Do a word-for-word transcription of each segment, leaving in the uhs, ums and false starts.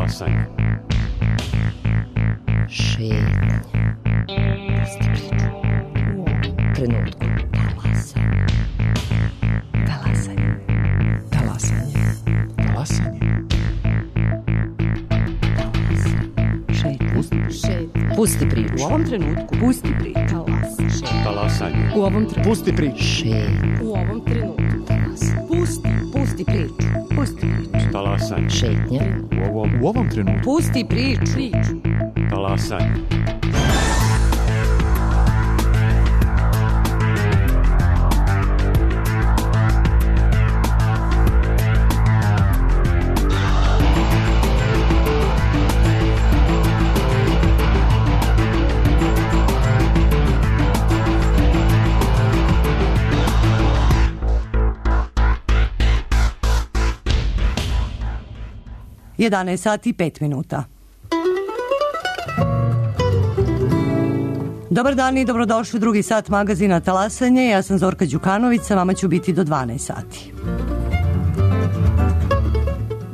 Talasanje. Šetnja. Pusti priču. Trenutku. Talasanje. Talasanje. Talasanje. Talasanje. Šetnja. Pusti, Šetnja. Pusti priču. U ovom trenutku. Pusti priču. Talasanje. talasanje. U ovom trenutku. Pusti priču. Šetnja. U ovom trenutku. Talasanje. Pusti. Pusti priču. Pusti priču. Talasanje. Šetnja. U ovom, u ovom trenutku. Pusti priču. Priču. Talasanje. jedanaest sati i pet minuta. Dobar dan i dobrodošli u drugi sat magazina Talasanje. Ja sam Zorka Đukanović, sa vama ću biti do dvanaest sati.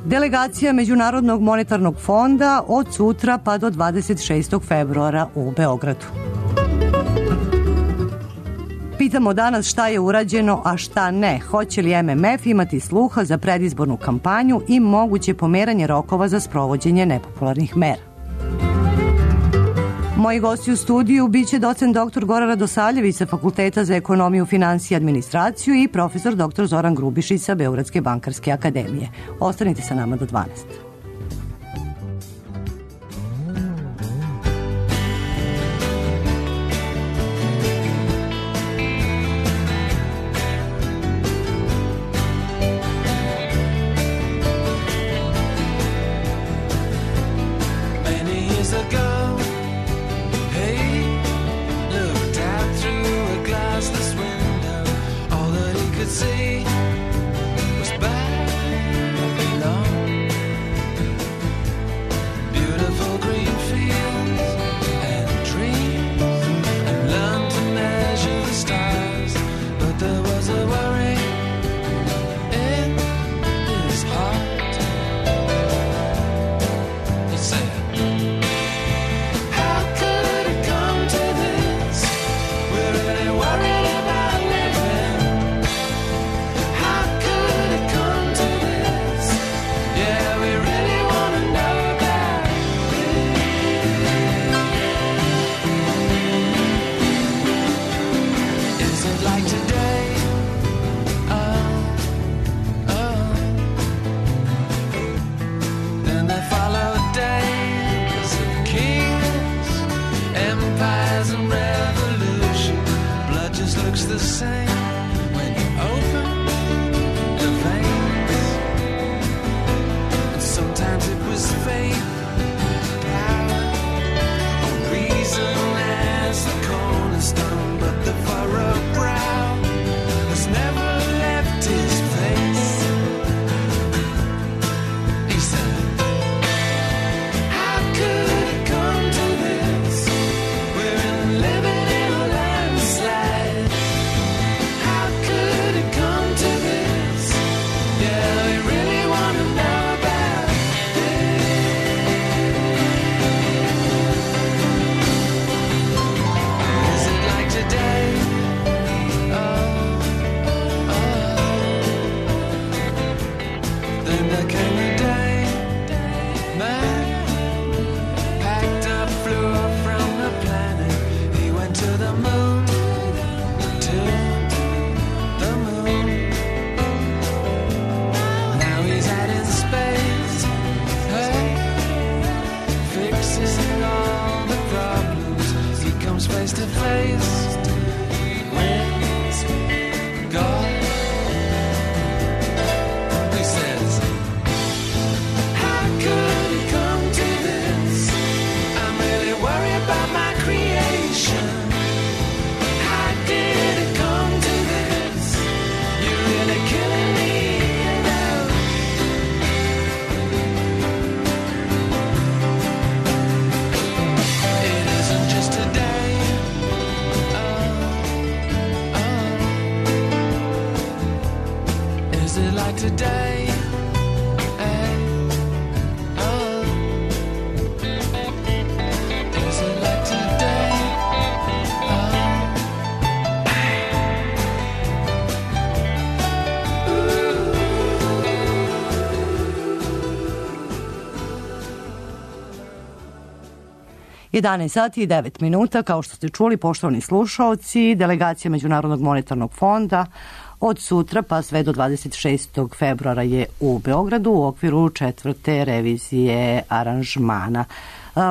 Delegacija Međunarodnog monetarnog fonda od sutra pa do dvadeset šestog februara u Beogradu. Pitamo danas šta je urađeno, a šta ne. Hoće li M M F imati sluha za predizbornu kampanju i moguće pomeranje rokova za sprovođenje nepopularnih mera? Moji gosti u studiju biće docent doktor Goran Radosavljević sa Fakulteta za ekonomiju, finansije i administraciju i profesor doktor Zoran Grubišić sa Beogradske bankarske akademije. Ostanite sa nama do dvanaest. Today, eh, oh. jedanaest sati i devet minuta, kao što ste čuli, poštovani slušaoci, delegacija Međunarodnog monetarnog fonda od sutra pa sve do dvadeset šestog februara je u Beogradu u okviru četvrte revizije aranžmana.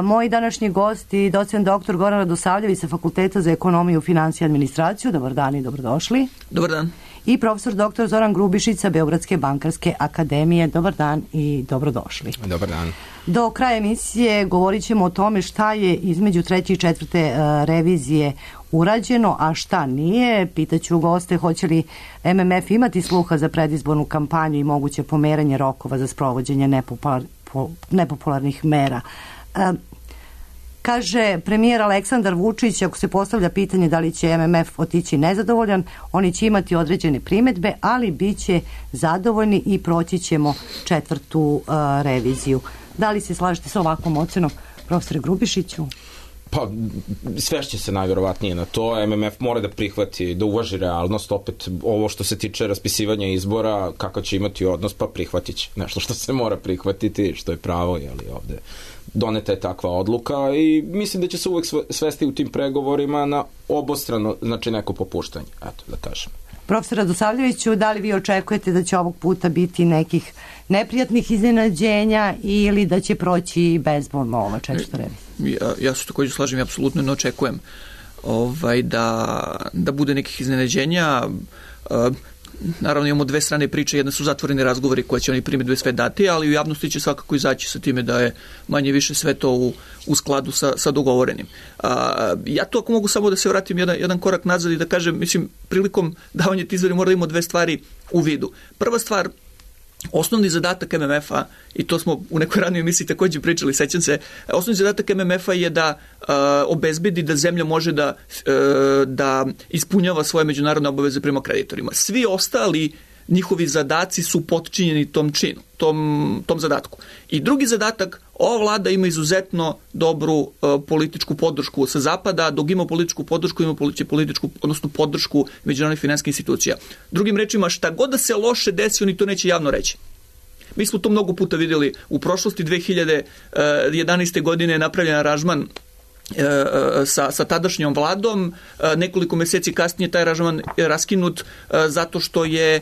Moji današnji gosti, docent doktor Goran Radosavljević sa Fakulteta za ekonomiju, finansije i administraciju. Dobar dan i dobrodošli. Dobar dan. I profesor doktor Zoran Grubišić sa Beogradske bankarske akademije. Dobar dan i dobrodošli. Dobar dan. Do kraja emisije govorit ćemo o tome šta je između treće i četvrte revizije urađeno, a šta nije. Pitaću goste hoće li M M F imati sluha za predizbornu kampanju i moguće pomeranje rokova za sprovođenje nepopular, po, nepopularnih mera. E, kaže premijer Aleksandar Vučić, ako se postavlja pitanje da li će M M F otići nezadovoljan, oni će imati određene primedbe, ali bit će zadovoljni i proći ćemo četvrtu uh, reviziju. Da li se slažete sa ovakvom ocenom, profesore Grubišiću? Pa, svešće se najvjerovatnije na to. M M F mora da prihvati, da uvaži realnost. Opet, ovo što se tiče raspisivanja izbora, kakav će imati odnos, pa prihvatit će. Nešto što se mora prihvatiti, što je pravo, jeli ovde. Doneta je takva odluka i mislim da će se uvek svesti u tim pregovorima na obostrano, znači neko popuštanje, eto, da kažem. Profesor Radosavljeviću, da li vi očekujete da će ovog puta biti nekih neprijatnih iznenađenja ili da će proći bezbolno ova četvrta revizija? Ja, ja se također slažem i apsolutno ne očekujem ovaj, da, da bude nekih iznenađenja. Uh, Naravno imamo dve strane priče, jedna su zatvoreni razgovori koje će oni primedbe sve dati, ali u javnosti će svakako izaći sa time da je manje više sve to u, u skladu sa, sa dogovorenim. A, ja to ako mogu samo da se vratim jedan, jedan korak nazad i da kažem, mislim, prilikom davanja tih izvora mora da imamo dve stvari u vidu. Prva stvar, osnovni zadatak M M F-a, i to smo u nekoj ranijoj emisiji također pričali, sećam se, osnovni zadatak M M F-a je da uh, obezbedi da zemlja može da, uh, da ispunjava svoje međunarodne obaveze prema kreditorima. Svi ostali njihovi zadaci su potčinjeni tom činu, tom, tom zadatku. I drugi zadatak, ova vlada ima izuzetno dobru uh, političku podršku sa zapada, dok ima političku podršku, ima političku, odnosno podršku međunarodnih finansijskih institucija. Drugim rečima, šta god da se loše desi, oni to neće javno reći. Mi smo to mnogo puta vidjeli u prošlosti. Dve hiljade jedanaeste. godine je napravljen aranžman Sa, sa tadašnjom vladom. Nekoliko mjeseci kasnije taj aranžman je raskinut zato što je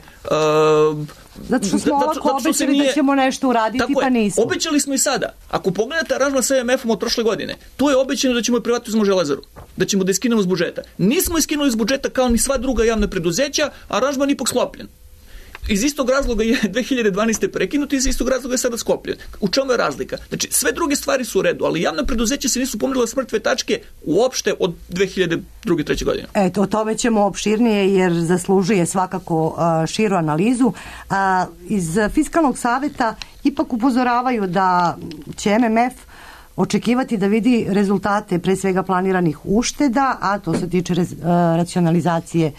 zato što smo ovako obećali nije, da ćemo nešto uraditi, pa nismo. Obećali smo i sada. Ako pogledate aranžman sa M M F-om od prošle godine, tu je obećano da ćemo privatizovati Železaru, da ćemo da iskinemo iz budžeta. Nismo iskinuli iz budžeta kao ni sva druga javna preduzeća, aranžman ipak sklopljen. Iz istog razloga je dve hiljade dvanaeste. prekinut i iz istog razloga je sada sklopljen. U čemu je razlika? Znači, sve druge stvari su u redu, ali javna preduzeća se nisu pomerila s mrtve tačke uopšte od dve hiljade druge. treće. godine. Eto, o tome ćemo opširnije jer zaslužuje svakako uh, širu analizu. Uh, iz Fiskalnog saveta ipak upozoravaju da će M M F očekivati da vidi rezultate pre svega planiranih ušteda, a to se tiče rez, uh, racionalizacije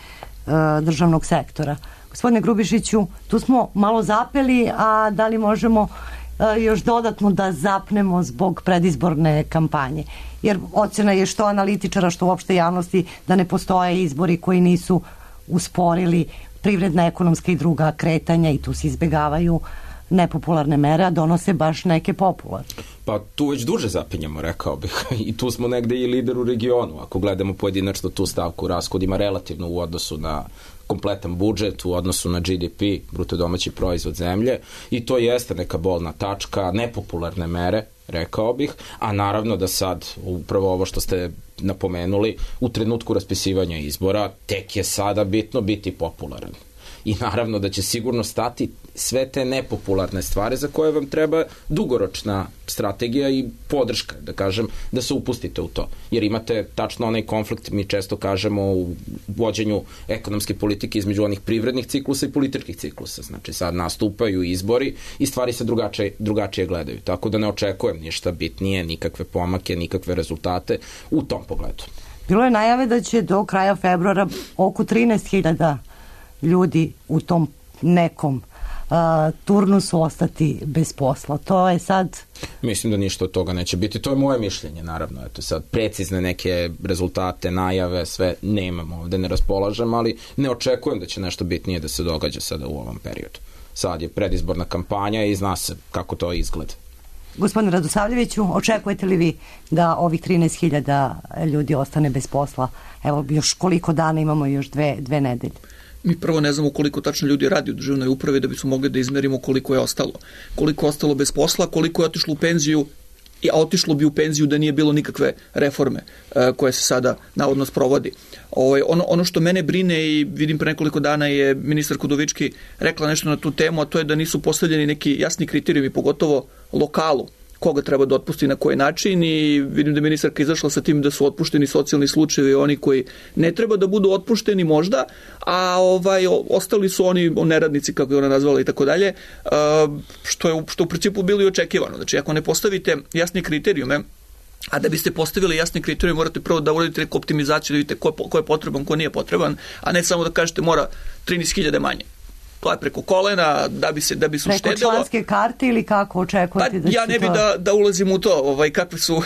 uh, državnog sektora. Gospodine Grubišiću, tu smo malo zapeli, a da li možemo uh, još dodatno da zapnemo zbog predizborne kampanje? Jer ocena je što analitičara, što uopšte javnosti da ne postoje izbori koji nisu usporili privredna, ekonomska i druga kretanja i tu se izbegavaju nepopularne mere, a donose baš neke popularne. Pa tu već duže zapinjamo, rekao bih. I tu smo negde i lider u regionu. Ako gledamo pojedinačno tu stavku rashodima relativno u odnosu na kompletan budžet, u odnosu na G D P, bruto domaći proizvod zemlje, i to jeste neka bolna tačka, nepopularne mere, rekao bih, a naravno da sad, upravo ovo što ste napomenuli, u trenutku raspisivanja izbora, tek je sada bitno biti popularan. I naravno da će sigurno stati sve te nepopularne stvari za koje vam treba dugoročna strategija i podrška, da kažem, da se upustite u to. Jer imate tačno onaj konflikt, mi često kažemo u vođenju ekonomske politike između onih privrednih ciklusa i političkih ciklusa. Znači sad nastupaju izbori i stvari se drugačije, drugačije gledaju. Tako da ne očekujem ništa bitnije, nikakve pomake, nikakve rezultate u tom pogledu. Bilo je najave da će do kraja februara oko trinaest hiljada ljudi u tom nekom uh, turnusu ostati bez posla. To je sad... Mislim da ništa od toga neće biti. To je moje mišljenje, naravno. Eto sad, precizne neke rezultate, najave, sve nemamo ovde, ne raspolažem, ali ne očekujem da će nešto bitnije da se događa sada u ovom periodu. Sad je predizborna kampanja i zna se kako to izgleda. Gospodine Radosavljeviću, očekujete li vi da ovih trinaest hiljada ljudi ostane bez posla? Evo, još koliko dana imamo, još dve, dve nedelje. Mi prvo ne znamo koliko tačno ljudi radi u državnoj upravi da bismo mogli da izmerimo koliko je ostalo. Koliko je ostalo bez posla, koliko je otišlo u penziju, a otišlo bi u penziju da nije bilo nikakve reforme uh, koje se sada navodno sprovodi. Ovo, ono, ono što mene brine i vidim pre nekoliko dana je ministar Kudovički rekla nešto na tu temu, a to je da nisu postavljeni neki jasni kriterijumi, pogotovo lokalu, koga treba da otpusti na koji način, i vidim da je ministarka izašla sa tim da su otpušteni socijalni slučajevi, oni koji ne treba da budu otpušteni možda, a ovaj ostali su oni neradnici, kako je ona nazvala i tako dalje, što je što u principu bilo i očekivano. Znači, ako ne postavite jasne kriterijume, a da biste postavili jasne kriterijume, morate prvo da uradite neku optimizaciju, da vidite ko, ko je potreban, ko nije potreban, a ne samo da kažete mora trinaest hiljada manje. To je preko kolena, da bi se da bi se uštedelo. Preko članske karte ili kako očekujete pa, da ja ne bi to... da, da ulazim u to, ovaj, kakve, su,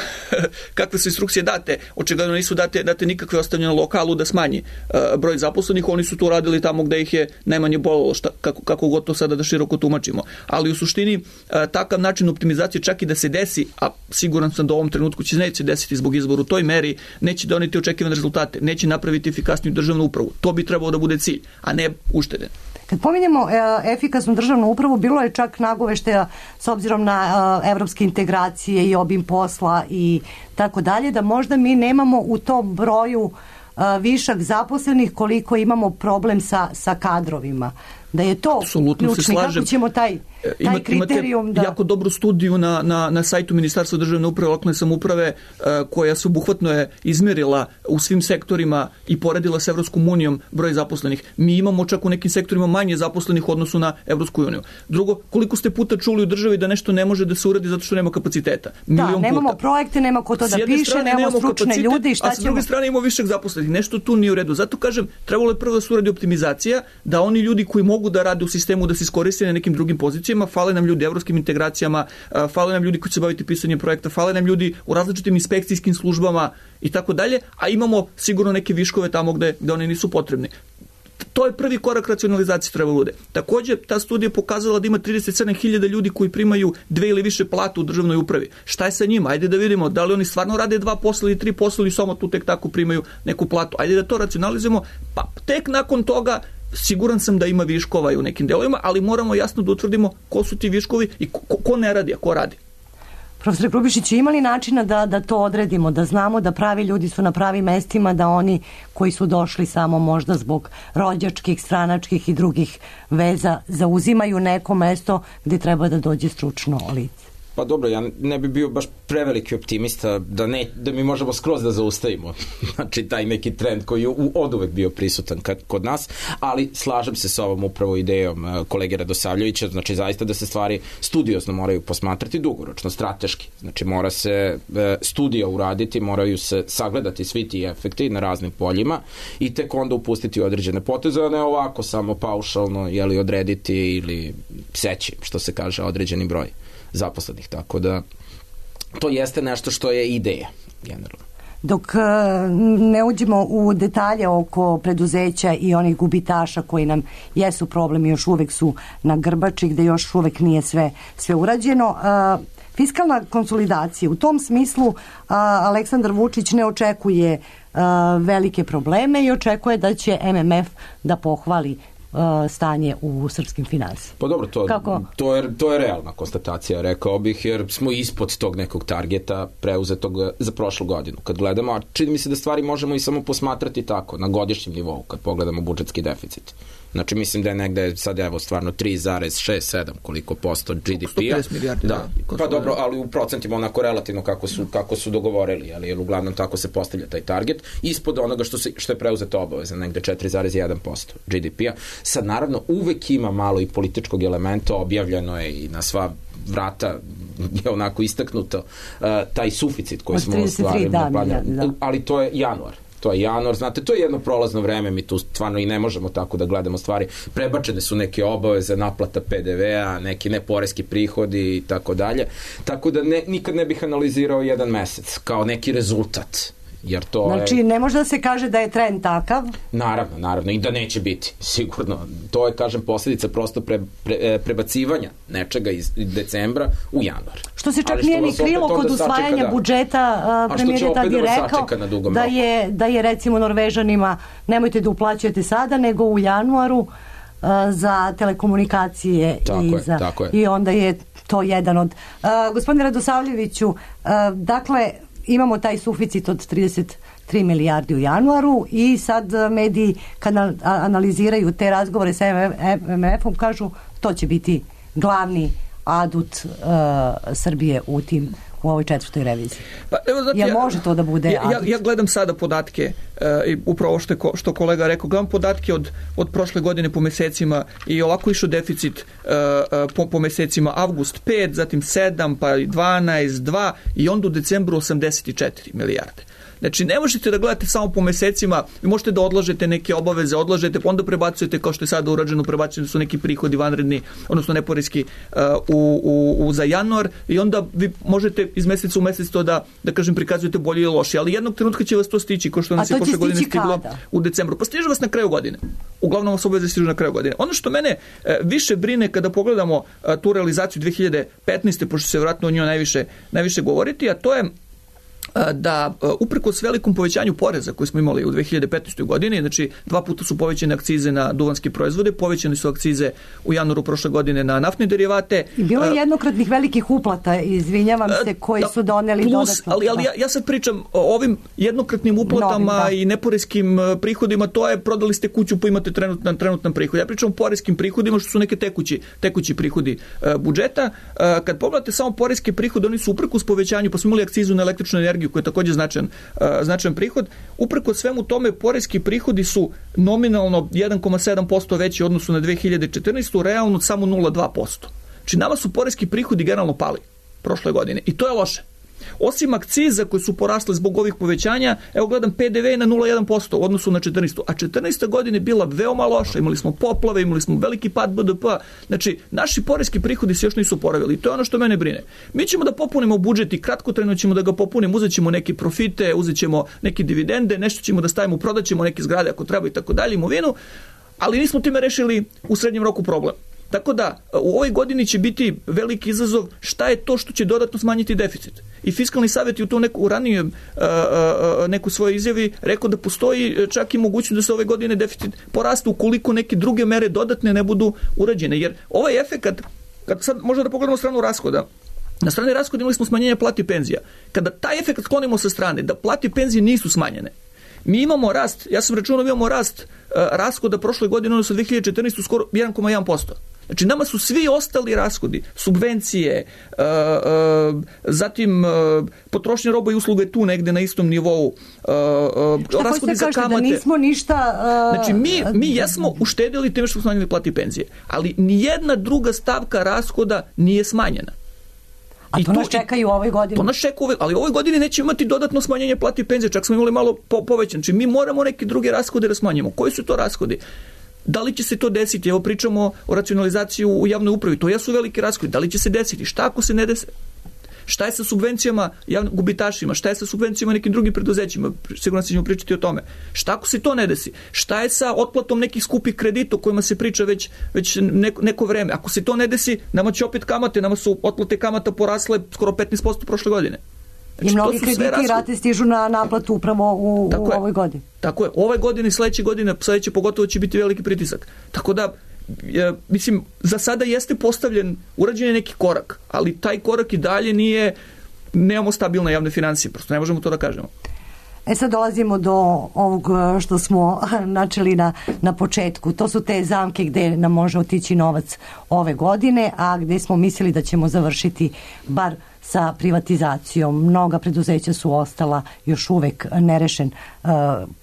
kakve su instrukcije date. Očigledno nisu date, date nikakve ostavljene lokalu da smanji uh, broj zaposlenih, oni su to radili tamo gde ih je najmanje bolelo, šta, kako, kako god to sada da široko tumačimo. Ali u suštini uh, takav način optimizacije, čak i da se desi, a siguran sam da u ovom trenutku će neće desiti zbog izbora u toj meri, neće doneti očekivane rezultate, neće napraviti efikasniju državnu upravu. To bi trebalo da bude cilj, a ne uštede. Kad pominjemo e, efikasnu državnu upravu, bilo je čak nagoveštaja s obzirom na e, evropske integracije i obim posla i tako dalje, da možda mi nemamo u tom broju e, višak zaposlenih koliko imamo problem sa, sa kadrovima. Da je to apsolutno ključni. Kako ćemo taj, taj Imate, kriterijum da... Imate jako dobru studiju na, na, na sajtu Ministarstva državne uprave i lokalne samouprave uh, koja se obuhvatno je izmjerila u svim sektorima i poredila s Evropskom unijom broj zaposlenih. Mi imamo čak u nekim sektorima manje zaposlenih u odnosu na Evropsku uniju. Drugo, koliko ste puta čuli u državi da nešto ne može da se uradi zato što nema kapaciteta? Milion da, nemamo puta. Projekte, nema ko to da piše, nemamo stručne ljudi i šta a ćemo... s druge strane imamo višak zaposlenih. Nešto tu nije u redu. Zato kažem, trebalo je prvo da se uradi optimizacija, da oni ljudi koji mogu da rade u sistemu da se iskoriste na nekim drugim pozicijama, fale nam ljudi u evropskim integracijama, fale nam ljudi koji će baviti pisanjem projekta, fale nam ljudi u različitim inspekcijskim službama i tako dalje, a imamo sigurno neke viškove tamo gde, gde oni nisu potrebni. To je prvi korak racionalizacije treba bude. Takođe, ta studija pokazala da ima trideset sedam hiljada ljudi koji primaju dve ili više platu u državnoj upravi. Šta je sa njima? Ajde da vidimo da li oni stvarno rade dva posla ili tri posla ili samo tu tek tako primaju neku platu. Ajde da to racionalizujemo, pa tek nakon toga siguran sam da ima viškova i u nekim delovima, ali moramo jasno da utvrdimo ko su ti viškovi i ko, ko ne radi, a ko radi. Profesor Grubišić, imali načina da, da to odredimo, da znamo da pravi ljudi su na pravim mestima, da oni koji su došli samo možda zbog rođačkih, stranačkih i drugih veza zauzimaju neko mesto gde treba da dođe stručno lice? Pa dobro, ja ne bi bio baš preveliki optimista da, ne, da mi možemo skroz da zaustavimo znači taj neki trend koji je od uvek bio prisutan kad, kod nas, ali slažem se sa ovom upravo idejom uh, kolege Radosavljevića, znači zaista da se stvari studiozno moraju posmatrati dugoročno, strateški, znači mora se uh, studija uraditi, moraju se sagledati svi ti efekti na raznim poljima i tek onda upustiti određene poteze, a ne ovako samo paušalno jeli, odrediti ili seći, što se kaže, određeni broj zaposlenih, tako da to jeste nešto što je ideja generalno. Dok ne uđemo u detalje oko preduzeća i onih gubitaša koji nam jesu problem i još uvek su na grbači gde još uvek nije sve, sve urađeno, fiskalna konsolidacija u tom smislu Aleksandar Vučić ne očekuje velike probleme i očekuje da će M M F da pohvali stanje u srpskim finansijama. Pa dobro, to, to, je, to je realna konstatacija, rekao bih, jer smo ispod tog nekog targeta preuzetog za prošlu godinu. Kad gledamo, a čini mi se da stvari možemo i samo posmatrati tako, na godišnjem nivou, kad pogledamo budžetski deficit. Znači, mislim da je negde sad, evo, stvarno tri zarez šest sedam koliko posto G D P-a. sto pedeset milijardi. Da, pa dobro, ali u procentima onako relativno kako su, kako su dogovorili, ali jer uglavnom tako se postavlja taj target, ispod onoga što, se, što je preuzeta obaveza, negde četiri zarez jedan posto G D P-a. Sad, naravno, uvek ima malo i političkog elementa, objavljeno je i na sva vrata je onako istaknuto uh, taj suficit koji smo ostvarili. Da, da, da. Ali to je januar. To je januar, znate, to je jedno prolazno vreme, mi tu stvarno i ne možemo tako da gledamo stvari. Prebačene su neke obaveze, naplata P D V-a, neki neporeski prihodi i tako dalje. Tako da ne, nikad ne bih analizirao jedan mesec kao neki rezultat jer to Znači, je... ne može da se kaže da je trend takav. Naravno, naravno, i da neće biti, sigurno. To je, kažem, posljedica prosto pre, pre, prebacivanja nečega iz decembra u januar. Što se čak Ali što nije ni vas opet krilo kod onda usvajanja sačeka, da. budžeta, A premijer što će je tad opet i da vas rekao sačeka na dugom da roku? je, da je recimo Norvežanima nemojte da uplaćujete sada, nego u januaru a, za telekomunikacije. Tako i, je, za, tako je. i onda je to jedan od... A, gospodine Radosavljeviću, a, dakle, imamo taj suficit od trideset tri milijardi u januaru i sad mediji kad analiziraju te razgovore sa M M F-om kažu to će biti glavni adut uh, Srbije u tim u ovoj četvrtoj reviziji. Pa, evo, znate, ja, ja, može to da bude ja, ja, adut? ja gledam sada podatke uh, i upravo što, je, što kolega rekao, gledam podatke od, od prošle godine po mesecima i ovako išao deficit uh, uh, po, po mesecima avgust pet, zatim sedam, pa dvanaest, dva i onda u decembru osamdeset četiri milijarde. Znači, ne možete da gledate samo po mesecima, vi možete da odlažete neke obaveze, odlažete, pa onda prebacujete, kao što je sada urađeno, prebacujete su neki prihodi vanredni, odnosno neporeski uh, u, u, u, za januar i onda vi možete iz meseca u mesec to da, da kažem, prikazujete bolje ili loše, ali jednog trenutka će vas to stići, kao što nas je prošle godine stiglo kada? U decembru. Pa stiže vas na kraju godine. Uglavnom vas obaveze stižu na kraju godine. Ono što mene uh, više brine kada pogledamo uh, tu realizaciju dve hiljade petnaeste. pošto se vjerojatno o njoj najviše, najviše govoriti, a to je da uprkos velikom povećanju poreza koje smo imali u dve hiljade petnaestoj. godini, znači dva puta su povećane akcize na duvanske proizvode, povećane su akcize u januaru prošle godine na naftne derivate. I bilo je jednokratnih velikih uplata, izvinjavam se, koji su doneli plus, dodatno. Ali, ali ja, ja sad pričam o ovim jednokratnim uplatama Novim, da. i neporeskim prihodima, to je prodali ste kuću pa imate trenutnan, trenutnan prihod. Ja pričam o poreskim prihodima što su neke tekući, tekući prihodi uh, budžeta. Uh, kad pogledate samo poreske prihode, oni su uprkos povećanju, pa smo imali akcizu na električnu energiju koji je također značajan, uh, značajan prihod. Uprkos svemu tome, poreski prihodi su nominalno jedan zarez sedam posto veći u odnosu na dve hiljade četrnaestu. realno samo nula zarez dva posto. Znači, nama su poreski prihodi generalno pali prošle godine i to je loše. Osim akciza koje su porasle zbog ovih povećanja, evo gledam P D V na nula zarez jedan posto u odnosu na četrnaestu. A četrnaesta godina je bila veoma loša, imali smo poplave, imali smo veliki pad B D P-a, znači naši poreski prihodi se još nisu oporavili i to je ono što mene brine. Mi ćemo da popunimo budžet i kratkotrajno ćemo da ga popunimo, uzet ćemo neke profite, uzet ćemo neke dividende, nešto ćemo da stavimo, prodat ćemo neke zgrade ako treba i tako dalje, imovinu, ali nismo time rešili u srednjem roku problem. Tako da, u ovoj godini će biti veliki izazov šta je to što će dodatno smanjiti deficit. I Fiskalni savjet je u to neku ranije uh, uh, neku svoje izjavi rekao da postoji čak i mogućnost da se ove godine deficit poraste ukoliko neke druge mere dodatne ne budu urađene. Jer ovaj efekat, kad sad možda da pogledamo stranu rashoda, na strani rashoda imali smo smanjenje plati i penzija. Kada taj efekt sklonimo sa strane, da plati i penzije nisu smanjene, mi imamo rast, ja sam računao, imamo rast uh, rashoda prošle godine, odnosno dve hiljade četrnaeste. skoro jedan zarez jedan posto. Znači, nama su svi ostali rashodi, subvencije, uh, uh, zatim uh, potrošnja roba i usluga je tu negde na istom nivou, uh, uh, rashodi za kamate. Da nismo ništa... Uh, znači, mi, mi jesmo uštedili time što smo smanjili plati i penzije, ali nijedna druga stavka rashoda nije smanjena. A to nas čeka i u ovoj godini. To nas čeka, ali u ovoj godini nećemo imati dodatno smanjenje plati i penzije, čak smo imali malo po, povećan. Znači, mi moramo neke druge rashode da smanjimo. Koji su to rashodi? Da li će se to desiti? Evo pričamo o racionalizaciji u javnoj upravi. To jesu velike rashodi. Da li će se desiti? Šta ako se ne desi? Šta je sa subvencijama javnim gubitašima? Šta je sa subvencijama nekim drugim preduzećima? Sigurno ćemo pričati o tome. Šta ako se to ne desi? Šta je sa otplatom nekih skupih kredita o kojima se priča već, već neko, neko vreme? Ako se to ne desi, nama će opet kamate, nama su otplate kamata porasle skoro petnaest posto prošle godine. Znači, i mnogi krediti i rate stižu na naplatu upravo u, u ovoj godini. Tako je. Ove godine i sledeće godine, sledeće pogotovo će biti veliki pritisak. Tako da, je, mislim, za sada jeste postavljen, urađen je neki korak, ali taj korak i dalje nije, nemamo stabilne javne financije, prosto ne možemo to da kažemo. E sad dolazimo do ovog što smo načeli na, na početku. To su te zamke gde nam može otići novac ove godine, a gde smo mislili da ćemo završiti bar sa privatizacijom. Mnoga preduzeća su ostala još uvek nerešen uh,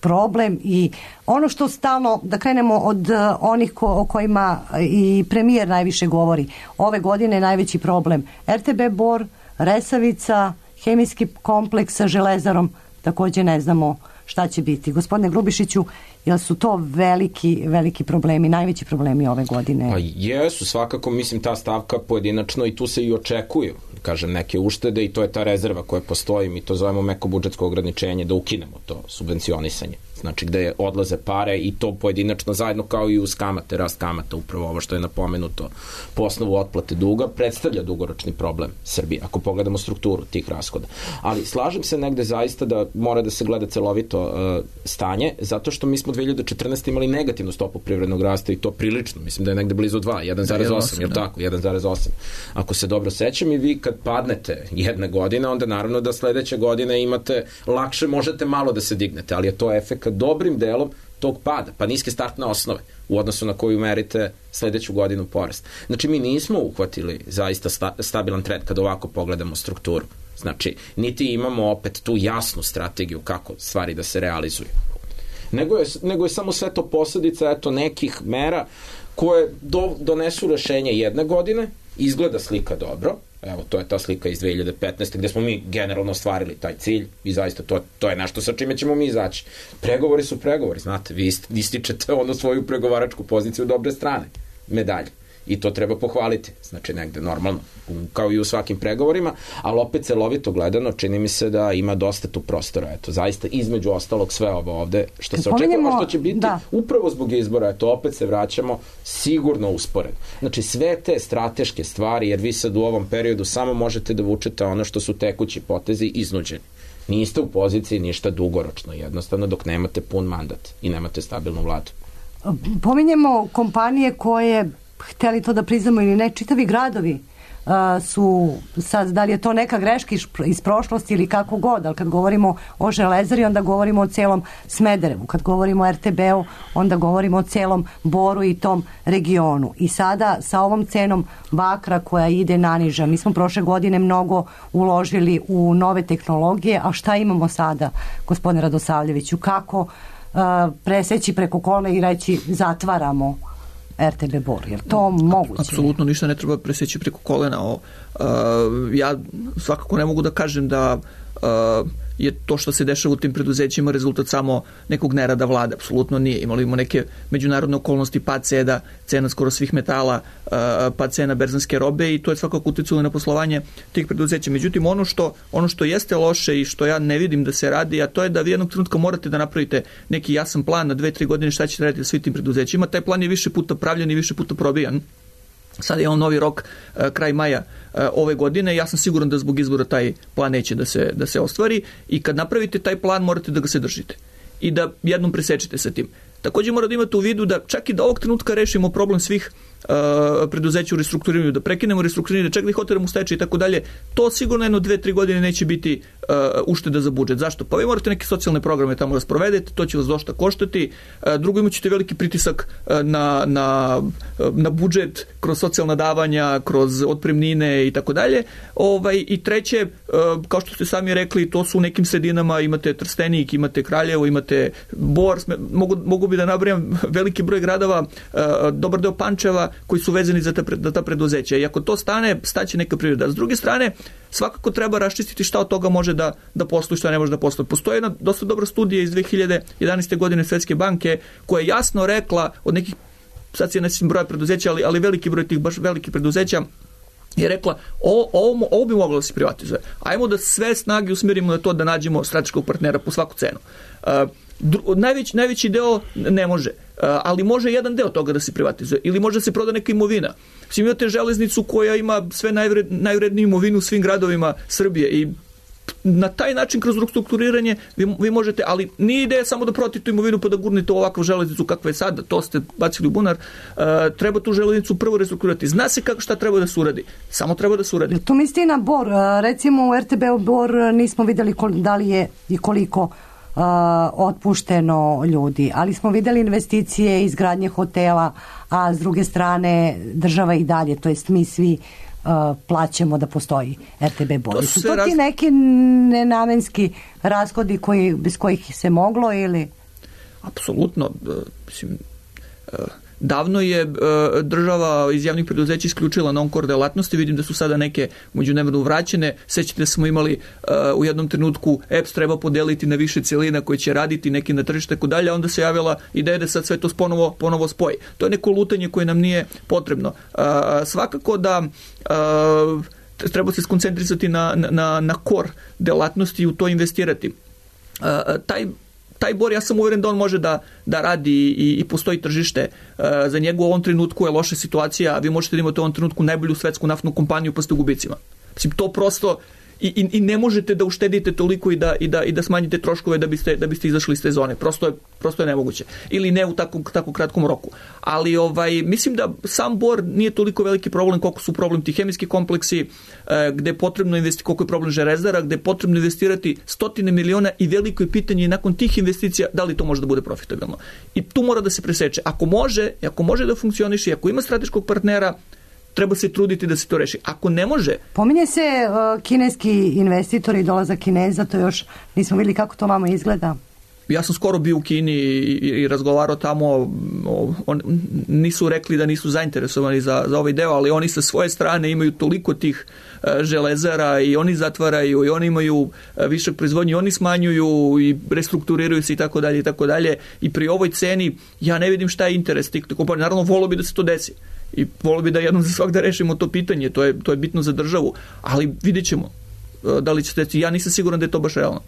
problem i ono što stalno, da krenemo od uh, onih ko, o kojima i premijer najviše govori, ove godine je najveći problem R T B Bor, Resavica, hemijski kompleks sa Železarom, također ne znamo šta će biti. Gospodine Grubišiću, jel su to veliki, veliki problemi, najveći problemi ove godine? Pa jesu, svakako, mislim, ta stavka pojedinačno i tu se i očekuju kažem, neke uštede i to je ta rezerva koja postoji, mi to zovemo meko budžetsko ograničenje, da ukinemo to subvencionisanje. Znači gde odlaze pare i to pojedinačno zajedno kao i uz kamate, rast kamata, upravo ovo što je napomenuto po osnovu otplate duga, predstavlja dugoročni problem Srbije, ako pogledamo strukturu tih rashoda. Ali slažem se negde zaista da mora da se gleda celovito uh, stanje, zato što mi smo dve hiljade četrnaeste. imali negativnu stopu privrednog rasta i to prilično, mislim da je negde blizu dva, jedan zarez osam, je li tako? jedan zarez osam. Ako se dobro sećam i vi kad padnete jedne godine, onda naravno da sledeće godine imate, lakše možete malo da se dignete, ali je to efekt dobrim delom tog pada, pa niske startne osnove u odnosu na koju merite sledeću godinu porast. Znači, mi nismo uhvatili zaista sta, stabilan trend kada ovako pogledamo strukturu. Znači, niti imamo opet tu jasnu strategiju kako stvari da se realizuju. Nego je, nego je samo sve to posljedica eto, nekih mera koje do, donesu rešenje jedne godine, izgleda slika dobro, evo, to je ta slika iz dve hiljade petnaeste. gde smo mi generalno ostvarili taj cilj i zaista to, to je nešto sa čime ćemo mi izaći. Pregovori su pregovori, znate, vi ističete ono svoju pregovaračku poziciju dobre strane, medalje. I to treba pohvaliti, znači negde normalno, kao i u svakim pregovorima, ali opet celovito gledano čini mi se da ima dosta tu prostora, eto, zaista između ostalog sve ovo ovde, što se očekuje, što će biti da. Upravo zbog izbora, eto, opet se vraćamo sigurno usporedno. Znači sve te strateške stvari, jer vi sad u ovom periodu samo možete da vučete ono što su tekući potezi iznuđeni. Niste u poziciji ništa dugoročno, jednostavno dok nemate pun mandat i nemate stabilnu vladu. Pominjemo kompanije koje, hteli to da priznamo ili ne, čitavi gradovi uh, su, sad, da li je to neka greška iz prošlosti ili kako god, ali kad govorimo o Železari, onda govorimo o celom Smederevu, kad govorimo o er te be-u, onda govorimo o celom Boru i tom regionu. I sada sa ovom cenom bakra koja ide naniža, mi smo prošle godine mnogo uložili u nove tehnologije, a šta imamo sada, gospodine Radosavljeviću, kako uh, preseći preko kolena i reći zatvaramo er te be Bor, je li to moguće? Apsolutno ništa ne treba preseći preko kolena. O, uh, ja svakako ne mogu da kažem da uh, je to što se dešava u tim preduzećima rezultat samo nekog nerada vlade. Apsolutno nije. Imali smo neke međunarodne okolnosti, pad cena, cena skoro svih metala, uh, pad cena berzanske robe i to je svakako uticalo na poslovanje tih preduzeća. Međutim, ono što, ono što jeste loše i što ja ne vidim da se radi, a to je da vi jednog trenutka morate da napravite neki jasan plan na dve, tri godine šta ćete raditi sa svim tim preduzećima. Taj plan je više puta pravljen i više puta probijan. Sada imamo novi rok uh, kraj maja uh, ove godine. Ja sam siguran da zbog izbora taj plan neće da se, da se ostvari i kad napravite taj plan morate da ga se držite i da jednom presečete sa tim. Također morate imati u vidu da čak i da ovog trenutka rešimo problem svih uh, preduzeća u restrukturiranju, da prekinemo restrukturiranje, da čak da ih oteramo u stečaj i tako dalje, to sigurno jedno dve, tri godine neće biti uh, ušteda za budžet. Zašto? Pa vi morate neke socijalne programe tamo da sprovedete, to će vas dosta koštati. Uh, drugo, imat ćete veliki pritisak uh, na, na, uh, na budžet kroz socijalna davanja, kroz otpremnine i tako dalje. Ovaj, I treće, uh, kao što ste sami rekli, to su u nekim sredinama, imate Trstenik, imate Kraljevo, imate Bor, mogu, mogu bi da nabrajam veliki broj gradova, uh, dobar deo Pančeva, koji su vezani za ta, za ta preduzeća. I ako to stane, staće neka privreda. S druge strane, svakako treba raščistiti šta od toga može da, da postoji, šta ne može da postoji. Postoji jedna dosta dobra studija iz dve hiljade jedanaeste. godine Svetske banke koja je jasno rekla od nekih, sad se ne sjećam broja preduzeća, ali, ali veliki broj tih baš velikih preduzeća je rekla, ovo, ovo, ovo bi moglo da se privatizuje. Ajmo da sve snage usmjerimo na to da nađemo strateškog partnera po svaku cenu. Uh, Dru, najveći, najveći deo ne može, uh, ali može jedan deo toga da se privatizuje ili može da se proda neka imovina. Svi imate železnicu koja ima sve najvred, najvredniju imovinu u svim gradovima Srbije i na taj način kroz restrukturiranje vi, vi možete, ali nije ideja samo da prodate tu imovinu pa da gurnete ovakvu železnicu kakva je sada, to ste bacili u bunar. Uh, treba tu železnicu prvo restrukturirati. Zna se kako šta treba da se uradi. Samo treba da se uradi. Tu misli na Bor. Recimo u er te be Bor nismo vidjeli kol, da li je i koliko Uh, otpušteno ljudi, ali smo vidjeli investicije, izgradnje hotela, a s druge strane država i dalje, to jest mi svi uh, plaćamo da postoji er te be Bor. Su to ti raz... neki nenamenski rashodi koji, bez kojih se moglo ili? Apsolutno. Uh, mislim, uh, davno je uh, država iz javnih preduzeća isključila non-core delatnosti, vidim da su sada neke međunarodno vraćene. Sećate da smo imali uh, u jednom trenutku E P S treba podeliti na više celina koje će raditi neki na tržište tako dalje, onda se javila ideja da sad sve to ponovo, ponovo spoji. To je neko lutanje koje nam nije potrebno. Uh, svakako da uh, treba se skoncentrisati na, na, na core delatnosti i u to investirati. Uh, taj Taj bor, ja sam uveren da on može da, da radi i, i postoji tržište uh, za njegu. U ovom trenutku je loša situacija, vi možete da imate u ovom trenutku najbolju svetsku naftnu kompaniju pa ste u gubicima. Mislim, to prosto i, i, i ne možete da uštedite toliko i da, i da, i da smanjite troškove da biste, da biste izašli iz te zone. Prosto je, prosto je nemoguće. Ili ne u tako, tako kratkom roku. Ali ovaj, mislim da sam bor nije toliko veliki problem koliko su problem ti hemijski kompleksi, gde je potrebno investirati, koliko je problem železara, gde je potrebno investirati stotine miliona i veliko je pitanje nakon tih investicija da li to može da bude profitabilno. I tu mora da se preseče. Ako može, ako može da funkcioniše, ako ima strateškog partnera, treba se truditi da se to reši. Ako ne može... Pominje se uh, kineski investitori i dolazak Kineza, to još nismo vidjeli kako to vama izgleda. Ja sam skoro bio u Kini i, i razgovarao tamo, on, nisu rekli da nisu zainteresovani za, za ovaj deo, ali oni sa svoje strane imaju toliko tih uh, železara i oni zatvaraju i oni imaju uh, višak proizvodnje, oni smanjuju i restrukturiraju se i tako dalje i tako dalje i pri ovoj ceni ja ne vidim šta je interes tih kompanija. Naravno, volio bi da se to desi i volio bi da jednom za svak da rešimo to pitanje, to je, to je bitno za državu, ali vidjet ćemo uh, da li će se, ja nisam siguran da je to baš realno.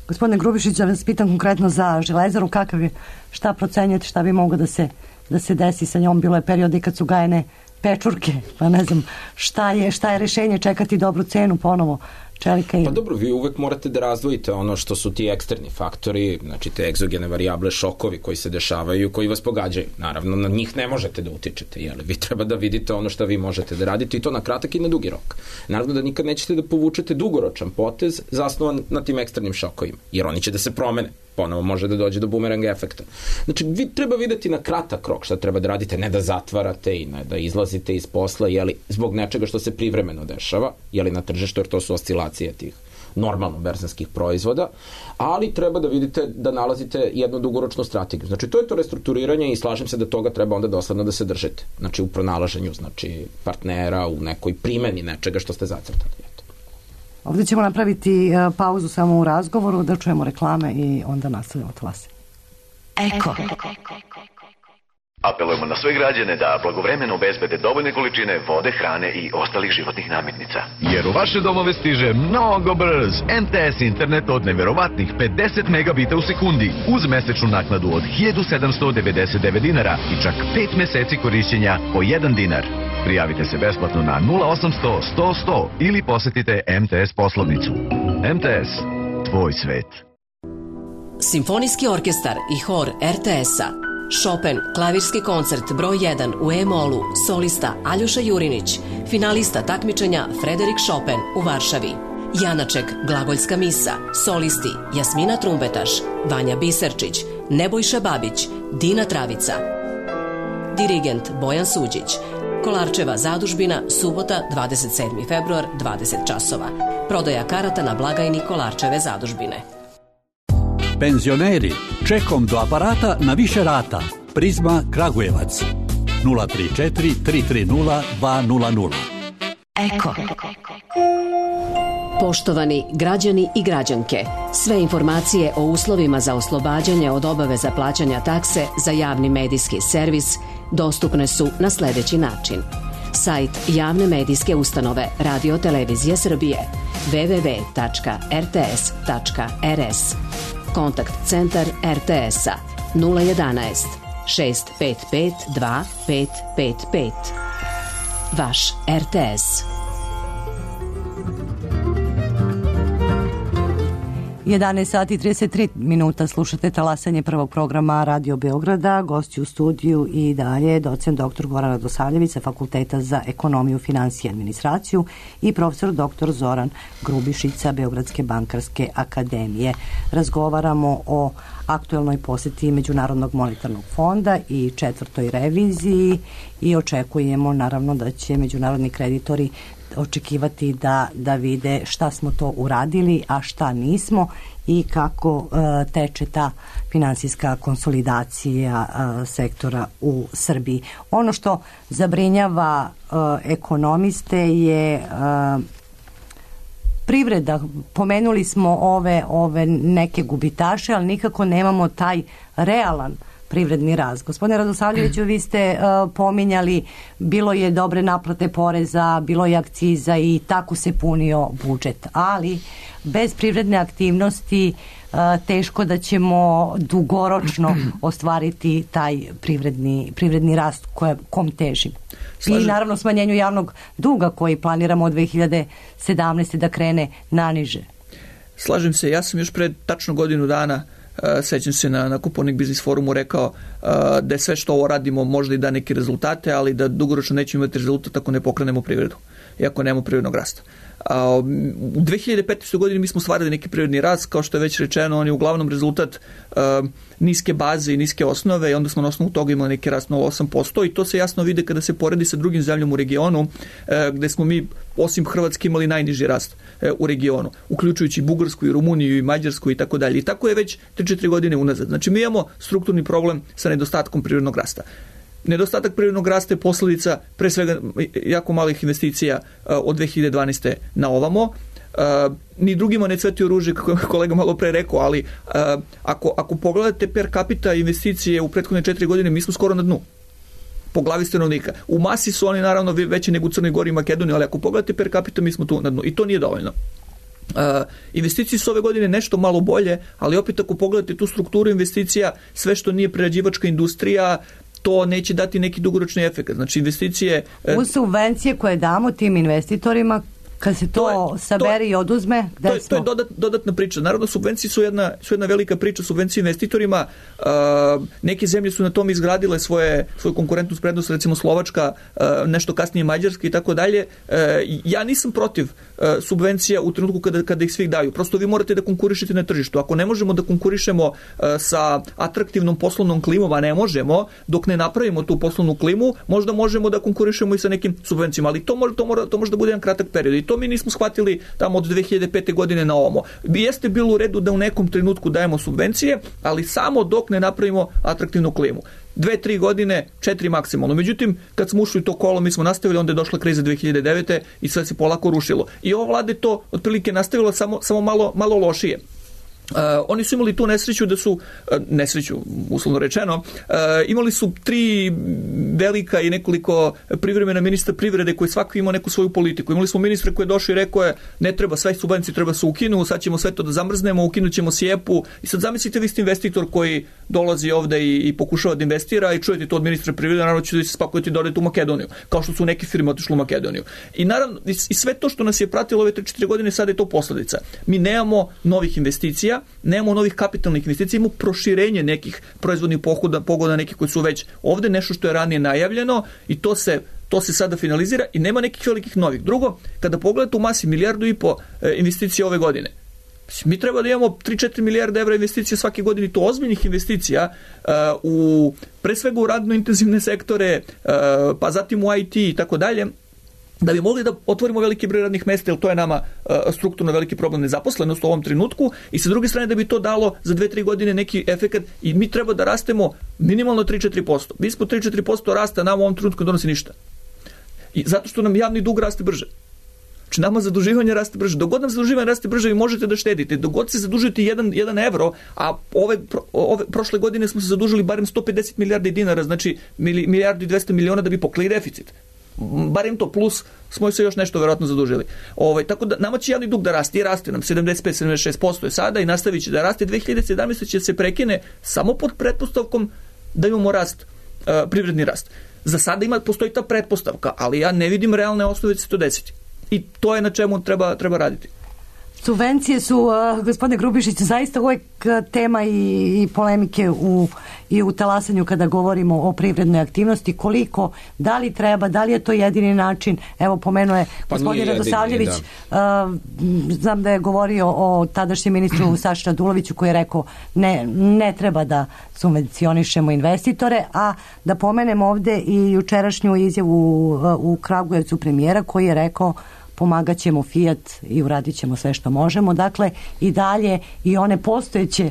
Gospodine Grubišić, ja vas pitam konkretno za železaru, kakav je, šta procenjujete, šta bi moglo da se, da se desi sa njom? Bilo je periodi kad su gajene pečurke, pa ne znam šta je, šta je rešenje, čekati dobru cenu ponovo čelika i... Pa dobro, vi uvek morate da razdvojite ono što su ti eksterni faktori, znači te egzogene varijable, šokovi koji se dešavaju, koji vas pogađaju. Naravno, na njih ne možete da utičete, jel? Vi treba da vidite ono što vi možete da radite i to na kratak i na dugi rok. Naravno da nikad nećete da povučete dugoročan potez zasnovan na tim eksternim šokovima, jer oni će da se promene. Ponovo može da dođe do bumerang efekta. Znači, vi treba videti na kratak rok šta treba da radite, ne da zatvarate i ne da izlazite iz posla, jeli, zbog nečega što se privremeno dešava, jeli na tržištu, jer to su oscilacije tih normalno berzanskih proizvoda, ali treba da vidite da nalazite jednu dugoročnu strategiju. Znači, to je to restrukturiranje i slažem se da toga treba onda dosledno da se držite. Znači, u pronalaženju, znači, partnera, u nekoj primeni nečega što ste zacrtali. Ovdje ćemo napraviti uh, pauzu samo u razgovoru, da čujemo reklame i onda nastavljamo talase. Eko. Apelujemo na sve građane da blagovremeno obezbede dovoljne količine vode, hrane i ostalih životnih namirnica. Jer u vaše domove stiže mnogo brz em te es internet od neverovatnih pedeset megabita u sekundi uz mesečnu naknadu od hiljadu sedamsto devedeset devet dinara i čak pet meseci korišćenja po jedan dinar. Prijavite se besplatno na nula osamsto sto sto ili posetite em te es poslovnicu. em te es, tvoj svet. Simfonijski orkestar i hor er te es-a. Chopin, klavirski koncert broj jedan u E-molu, solista Aljoša Jurinić, finalista takmičenja Frederik Chopin u Varšavi. Janaček, glagoljska misa, solisti Jasmina Trumbetaš, Vanja Biserčić, Nebojša Babić, Dina Travica. Dirigent Bojan Suđić. Kolarčeva zadužbina, subota, dvadeset sedmi februar, dvadeset časova. Prodaja karata na blagajni Kolarčeve zadužbine. Penzioneri, čekom do aparata na više rata. Prizma Kragujevac. nula tri četiri tri tri nula dva nula nula. Eko. Poštovani građani i građanke, sve informacije o uslovima za oslobađanje od obaveza plaćanja takse za javni medijski servis dostupne su na sljedeći način. Sajt javne medijske ustanove Radio Televizije Srbije w w w tačka r t s tačka r s. Kontakt centar er te es-a nula jedanaest šest pet pet dva pet pet pet. Vaš er te es. jedanaest sati i trideset tri minuta, slušate talasanje prvog programa Radio Beograda. Gosti u studiju i dalje docent doktor Goran Radosavljević sa Fakulteta za ekonomiju, finansije i administraciju i profesor doktor Zoran Grubišić sa Beogradske bankarske akademije. Razgovaramo o aktuelnoj poseti Međunarodnog monetarnog fonda i četvrtoj reviziji i očekujemo naravno da će međunarodni kreditori očekivati da, da vide šta smo to uradili, a šta nismo i kako e, teče ta finansijska konsolidacija e, sektora u Srbiji. Ono što zabrinjava e, ekonomiste je e, privreda. Pomenuli smo ove, ove neke gubitaše, ali nikako nemamo taj realan privredni rast. Gospodine Radosavljeviću, vi ste uh, pominjali, bilo je dobre naplate poreza, bilo je akciza i tako se punio budžet, ali bez privredne aktivnosti uh, teško da ćemo dugoročno ostvariti taj privredni, privredni rast koje, kom težimo. Slažem. I naravno smanjenju javnog duga koji planiramo od dve hiljade sedamnaeste. da krene naniže. Slažem se, ja sam još pred tačno godinu dana, uh, sećam se na, na Kupovnik biznis forumu, rekao uh, da je sve što ovo radimo možda i da neki rezultate, ali da dugoročno nećemo imati rezultat ako ne pokrenemo privredu i ako nemamo privrednog rasta. Uh, u dve hiljade petnaestoj. godini mi smo stvarili neki privredni rast, kao što je već rečeno, on je uglavnom rezultat uh, niske baze i niske osnove i onda smo na osnovu toga imali neki rast nula zarez osam posto i to se jasno vide kada se poredi sa drugim zemljama u regionu, uh, gde smo mi osim Hrvatske imali najniži rast uh, u regionu, uključujući Bugarsku i Rumuniju i Mađarsku i tako dalje. I tako je već tri četiri godine unazad. Znači mi imamo strukturni problem sa nedostatkom privrednog rasta. Nedostatak privrednog rasta je posljedica pre svega jako malih investicija uh, od dve hiljade dvanaeste. na ovamo. Uh, ni drugima ne cvetio ruže, kako je kolega malo pre rekao, ali uh, ako, ako pogledate per capita investicije u prethodne četiri godine, mi smo skoro na dnu po glavi stanovnika. U masi su oni naravno veći nego u Crnoj Gori i Makedoniji, ali ako pogledate per capita, mi smo tu na dnu i to nije dovoljno. Uh, investicije su ove godine nešto malo bolje, ali opet ako pogledate tu strukturu investicija, sve što nije prerađivačka industrija, to neće dati neki dugoročni efekt. Znači investicije... Uz subvencije koje damo tim investitorima, kad se to, to je, sabere to, i oduzme, gde to je, smo? To je dodat, dodatna priča. Naravno, subvencije su jedna, su jedna velika priča, subvencije investitorima. Uh, neke zemlje su na tom izgradile svoje, svoju konkurentnu prednost, recimo Slovačka, uh, nešto kasnije Mađarska i tako dalje. Uh, ja nisam protiv uh, subvencija u trenutku kada, kada ih svih daju. Prosto vi morate da konkurišete na tržištu. Ako ne možemo da konkurišemo uh, sa atraktivnom poslovnom klimom, a ne možemo, dok ne napravimo tu poslovnu klimu, možda možemo da konkurišemo i sa nekim subvencijama. Ali to, može, to, mora, to može da bude jedan kratak period. I to mi nismo shvatili tamo od dve hiljade pete. godine na ovamo. Jeste bilo u redu da u nekom trenutku dajemo subvencije, ali samo dok ne napravimo atraktivnu klimu. Dve, tri godine, četiri maksimalno. Međutim, kad smo ušli u to kolo, mi smo nastavili, onda je došla kriza dve hiljade devete. i sve se polako rušilo. I ova vlada je to otprilike nastavila samo, samo malo, malo lošije. Uh, oni su imali tu nesreću da su, uh, nesreću uslovno rečeno, uh, imali su tri velika i nekoliko privremena ministra privrede koji svako imao neku svoju politiku. Imali smo ministra koji je došao i rekao je ne treba, sve subvencije treba se ukinu, sad ćemo sve to da zamrznemo, ukinut ćemo sjepu i sad zamislite vi ste investitor koji dolazi ovde i, i pokušava da investira i čujete to od ministra privrede, naravno ćete da se spakujete da odete u Makedoniju, kao što su neke firme otišle u Makedoniju. I naravno, i, i sve to što nas je pratilo ove tri četiri godine, sad je to posledica. Mi nemamo novih investicija, nemamo novih kapitalnih investicija, imamo proširenje nekih proizvodnih pohoda, pogoda, nekih koji su već ovde, nešto što je ranije najavljeno i to se, to se sada finalizira i nema nekih velikih novih. Drugo, kada pogledate u masi milijardu i po e, investicija ove godine, mi treba da imamo tri četiri milijarde evra investicija svake godine, to ozbiljnih investicija uh, u, pre svega u radno intenzivne sektore, uh, pa zatim u I T i tako dalje, da bi mogli da otvorimo veliki broj radnih mesta, jer to je nama uh, strukturno veliki problem nezaposlenost u ovom trenutku, i sa druge strane da bi to dalo za dve tri godine neki efekat i mi treba da rastemo minimalno tri četiri posto. Mi smo tri četiri posto rasta, nam u ovom trenutku ne donosi ništa. I zato što nam javni dug raste brže. Znači nama zaduživanje raste brže. Dok god nam zaduživanje raste brže, vi možete da štedite. Dok god se zadužujete jedan, jedan evro, a ove, ove prošle godine smo se zadužili barem sto pedeset milijardi dinara, znači milijardu i dvesta miliona da bi pokrili deficit. Barem to, plus smo se još nešto verovatno zadužili. Ovaj, tako da nama će javni dug da raste i raste nam sedamdeset pet sedamdeset šest posto je sada i nastavit će da raste. dve hiljade sedamnaeste. će se prekine samo pod pretpostavkom da imamo rast, uh, privredni rast. Za sada ima, postoji ta pretpostavka, ali ja ne vidim realne osnove da se to desiti. I to je na čemu treba, treba raditi. Subvencije su, uh, gospodine Grubišić, zaista uvijek tema i, i polemike u, i u talasanju kada govorimo o privrednoj aktivnosti. Koliko, da li treba, da li je to jedini način? Evo, pomenuo je pa gospodin Radosavljević, uh, znam da je govorio o tadašnjem ministru Saši Raduloviću koji je rekao ne, ne treba da subvencionišemo investitore, a da pomenem ovde i jučerašnju izjavu u, u Kragujevcu premijera koji je rekao pomagat ćemo Fiat i uradit ćemo sve što možemo. Dakle, i dalje i one postojeće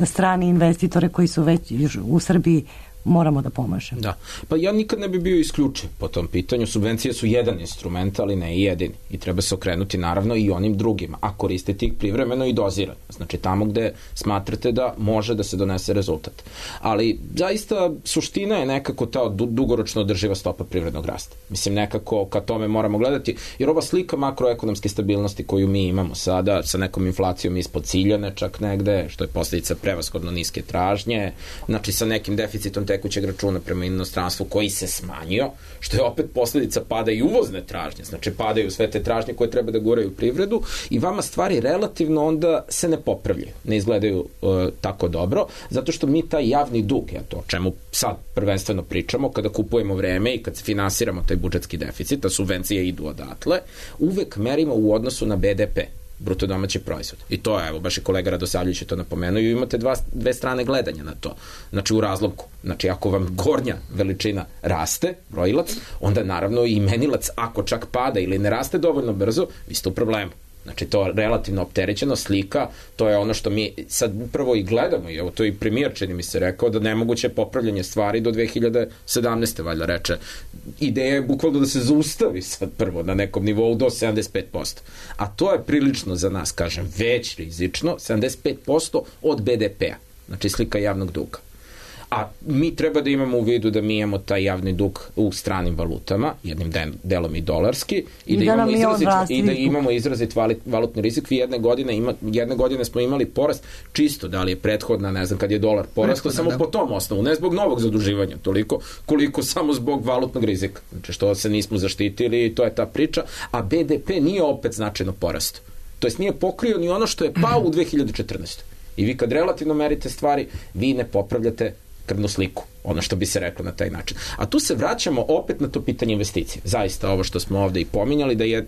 strane investitore koji su već u Srbiji moramo da pomažemo. Da, pa ja nikad ne bi bio isključiv po tom pitanju. Subvencije su jedan instrument, ali ne i jedini. I treba se okrenuti naravno i onim drugima, a koristiti ih privremeno i dozirano. Znači tamo gde smatrate da može da se donese rezultat. Ali zaista suština je nekako ta dugoročno održiva stopa privrednog rasta. Mislim, nekako ka tome moramo gledati, jer ova slika makroekonomske stabilnosti koju mi imamo sada, sa nekom inflacijom ispod ciljane čak negde, što je posljedica prevashodno niske tražnje, znači sa nekim deficitom tekućeg računa prema inostranstvu koji se smanjio, što je opet posljedica pada i uvozne tražnje, znači padaju sve te tražnje koje treba da guraju privredu i vama stvari relativno onda se ne popravljaju, ne izgledaju uh, tako dobro, zato što mi taj javni dug, ja to o čemu sad prvenstveno pričamo, kada kupujemo vreme i kad se finansiramo taj budžetski deficit, a subvencije idu odatle, uvek merimo u odnosu na B D P, bruto domaći proizvod. I to je, evo, baš i kolega Radosavljević je to napomenuo i imate dva, dve strane gledanja na to. Znači, u razlomku. Znači, ako vam gornja veličina raste, brojilac, onda naravno i menilac, ako čak pada ili ne raste dovoljno brzo, vi ste u problemu. Znači, to relativno opterećeno slika, to je ono što mi sad prvo i gledamo, i evo to i premijer čini mi se rekao, da nemoguće popravljanje stvari do dve hiljade sedamnaeste valjda reče. Ideja je bukvalno da se zaustavi sad prvo na nekom nivou do sedamdeset pet posto. A to je prilično za nas, kažem, već rizično, sedamdeset pet posto od B D P-a, znači slika javnog duga. A mi treba da imamo u vidu da mi imamo taj javni dug u stranim valutama, jednim delom i dolarski, i, I da, da imamo izrazit, i da imamo izrazit valutni rizik. Vi jedne godine, ima, jedne godine smo imali porast, čisto da li je prethodna, ne znam, kad je dolar porastao, samo da. Po tom osnovu, ne zbog novog zaduživanja toliko, koliko samo zbog valutnog rizika. Znači što se nismo zaštitili, to je ta priča, a B D P nije opet značajno porastao. To jest nije pokrio ni ono što je pao u dve hiljade četrnaestoj. I vi kad relativno merite stvari, vi ne popravljate krvnu sliku, ono što bi se reklo na taj način. A tu se vraćamo opet na to pitanje investicije. Zaista ovo što smo ovde i pominjali, da je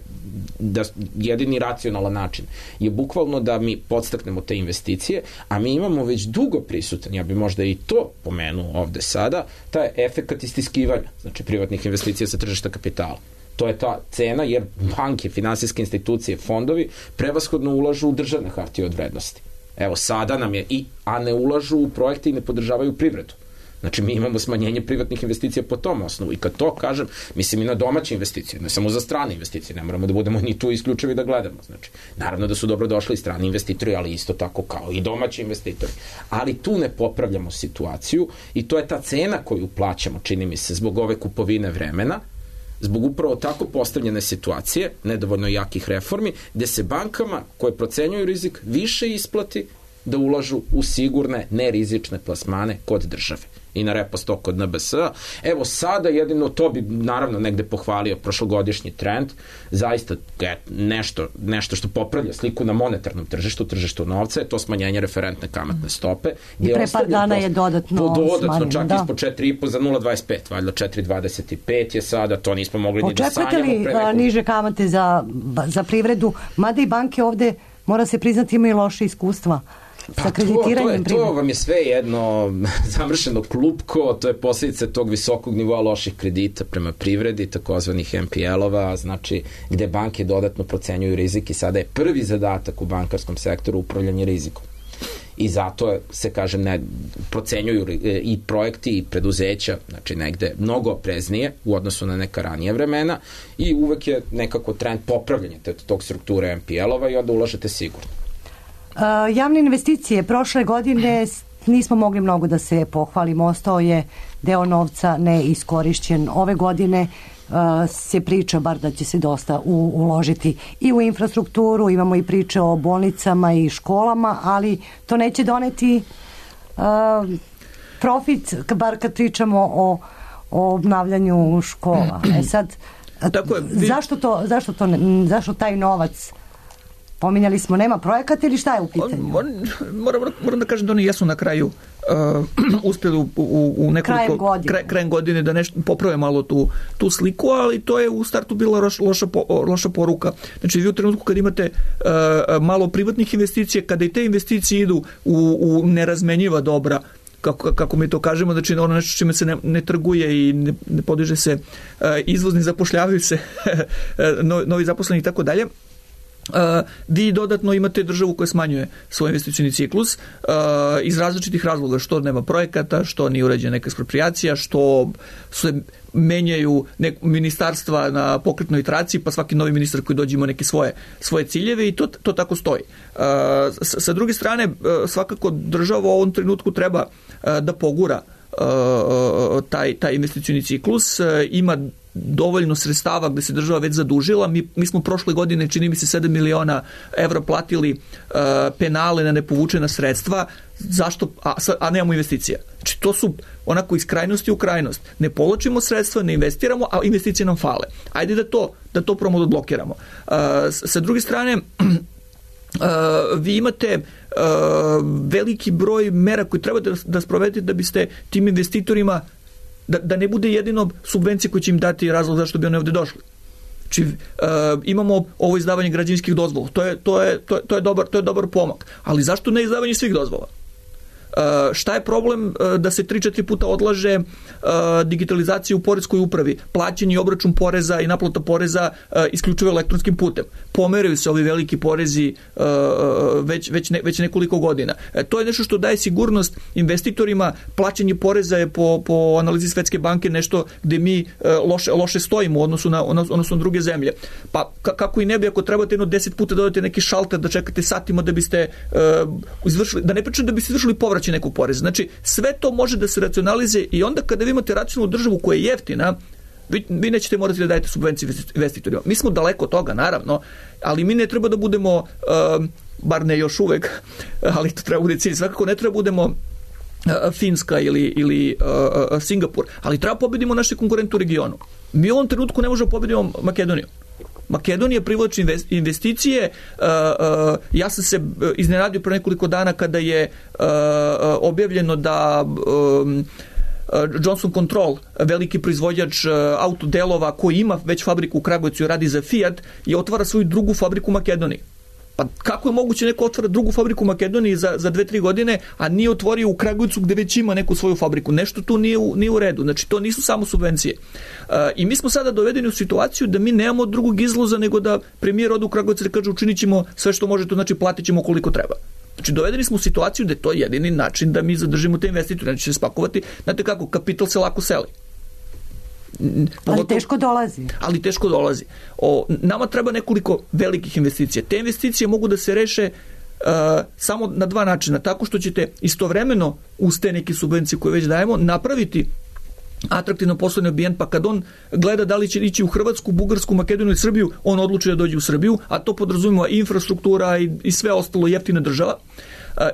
da jedini racionalan način je bukvalno da mi podstaknemo te investicije, a mi imamo već dugo prisutan, ja bi možda i to pomenuo ovde sada, taj efekat istiskivanja, znači privatnih investicija sa tržišta kapitala. To je ta cena, jer banke, finansijske institucije, fondovi prevashodno ulažu u državne hartije od vrednosti. Evo, sada nam je, i, a ne ulažu u projekte i ne podržavaju privredu. Znači, mi imamo smanjenje privatnih investicija po tom osnovu. I kad to kažem, mislim i na domaće investicije, ne samo za strane investicije, ne moramo da budemo ni tu isključivi da gledamo. Znači, naravno da su dobro došli i strani investitori, ali isto tako kao i domaći investitori. Ali tu ne popravljamo situaciju i to je ta cena koju plaćamo, čini mi se, zbog ove kupovine vremena, zbog upravo tako postavljene situacije, nedovoljno jakih reformi, gde se bankama koje procenjuju rizik više isplati da ulažu u sigurne, nerizične plasmane kod države. I na repo sto kod N B S-a. Evo sada jedino to bi naravno negde pohvalio prošlogodišnji trend, zaista nešto, nešto što popravlja sliku na monetarnom tržištu, tržištu novca, je to smanjenje referentne kamatne stope. I pre par dana je dodatno dodatno smanjeno. Čak da. ispod četiri zarez pet za nula zarez dvadeset pet, valjda četiri zarez dvadeset pet je sada, to nismo mogli ni da sanjamo. Očekujete li nekog... niže kamate za, za privredu, mada i banke ovde, mora se priznati, imaju loše iskustva. Pa to, to, je, to vam je sve jedno zamršeno klupko, to je posljedica tog visokog nivoa loših kredita prema privredi, takozvanih M P L-ova, znači gde banke dodatno procenjuju rizik i sada je prvi zadatak u bankarskom sektoru upravljanje rizikom. I zato se, kažem, ne, procenjuju i projekti i preduzeća, znači negde mnogo opreznije u odnosu na neka ranija vremena i uvek je nekako trend popravljanja tog strukture M P L-ova i onda ulažete sigurno. Uh, javne investicije prošle godine nismo mogli mnogo da se pohvalimo, ostao je deo novca neiskorišćen. Ove godine uh, se priča bar da će se dosta u, uložiti i u infrastrukturu, imamo i priče o bolnicama i školama, ali to neće doneti uh, profit, bar kad pričamo o, o obnavljanju škola. E sad, Tako je, vi... zašto, to, zašto, to, zašto taj novac pominjali smo, nema projekata ili šta je u pitanju? Moram, moram da kažem da oni jesu na kraju uh, uspjeli u, u, u nekoliko krajem godine. Kraj, krajem godine da nešto poprave malo tu, tu sliku, ali to je u startu bila loš, loša, po, loša poruka. Znači vi u trenutku kad imate uh, malo privatnih investicija, kada i te investicije idu u, u nerazmenjiva dobra, kako, kako mi to kažemo, znači ono nešto čime se ne, ne trguje i ne, ne podiže se uh, izvozni, zapošljavaju se novi zaposleni i tako dalje, Uh, vi dodatno imate državu koja smanjuje svoj investicioni ciklus uh, iz različitih razloga, što nema projekata, što nije uređena neka eksproprijacija, što se menjaju nek, ministarstva na pokretnoj traciji, pa svaki novi ministar koji dođe ima neke svoje, svoje ciljeve i to, to tako stoji. Uh, sa, sa druge strane, uh, svakako država u ovom trenutku treba uh, da pogura uh, taj, taj investicioni ciklus, uh, ima dovoljno sredstava gde se država već zadužila. Mi, mi smo prošle godine, čini mi se, sedam miliona evra platili uh, penale na nepovučena sredstva. Zašto? A, a nemamo investicija. Znači, to su onako iz krajnosti u krajnost. Ne povlačimo sredstva, ne investiramo, a investicije nam fale. Ajde da to, da to probamo da odblokiramo. Uh, sa druge strane, Uh, vi imate uh, veliki broj mera koje treba da, da sprovedete da biste tim investitorima Da, da ne bude jedino subvencije koje će im dati razlog zašto bi oni ovde došli. Znači, uh, imamo ovo izdavanje građevinskih dozvola. To je, to je, to je, to je, dobar, to je dobar pomak. Ali zašto ne izdavanje svih dozvola? Uh, šta je problem uh, da se tri četiri puta odlaže uh, digitalizacija u poreskoj upravi, plaćanje i obračun poreza i naplata poreza uh, isključivo elektronskim putem. Pomeraju se ovi veliki porezi uh, već, već, ne, već nekoliko godina. E, to je nešto što daje sigurnost investitorima. Plaćanje poreza je po, po analizi Svetske banke nešto gde mi uh, loše, loše stojimo u odnosu na, odnosu na druge zemlje. Pa ka, kako i ne bi, ako trebate jedno deset puta dodate neki šalter da čekate satima da biste uh, izvršili, da ne pričam da biste izvršili povraćaj nekog poreza. Znači, sve to može da se racionalizuje i onda kada vi imate racionalnu državu koja je jeftina, vi, vi nećete morati da dajete subvencije investitorima. Mi smo daleko od toga, naravno, ali mi ne treba da budemo, uh, bar ne još uvek, ali to treba bude cilj, svakako ne treba budemo uh, Finska ili, ili uh, Singapur, ali treba pobedimo naše konkurente u regionu. Mi u ovom trenutku ne možemo pobedimo Makedoniju. Makedonija privlači investicije. Uh, uh, ja sam se iznenadio pre nekoliko dana kada je uh, objavljeno da um, Johnson Control, veliki proizvođač uh, autodelova koji ima već fabriku u Kragujevcu i radi za Fiat, je otvara svoju drugu fabriku u Makedoniji. Pa kako je moguće neko otvara drugu fabriku u Makedoniji za, za dve, tri godine, a nije otvorio u Kragujevcu gde već ima neku svoju fabriku? Nešto tu nije u, nije u redu. Znači, to nisu samo subvencije. Uh, I mi smo sada dovedeni u situaciju da mi nemamo drugog izlaza nego da premijer ode u Kragujevac i kaže učinit ćemo sve što može, to znači platit ćemo koliko treba. Znači, dovedeni smo u situaciju da je to jedini način da mi zadržimo te investitore. Znači, će se spakovati, znate kako, kapital se lako seli. Ali teško dolazi. Ali teško dolazi. O, nama treba nekoliko velikih investicija. Te investicije mogu da se reše uh, samo na dva načina. Tako što ćete istovremeno uz te neke subvencije koje već dajemo napraviti atraktivno poslovni ambijent, pa kad on gleda da li će ići u Hrvatsku, Bugarsku, Makedoniju i Srbiju, on odluči da dođe u Srbiju, a to podrazumijeva infrastruktura i, i sve ostalo, jeftina država.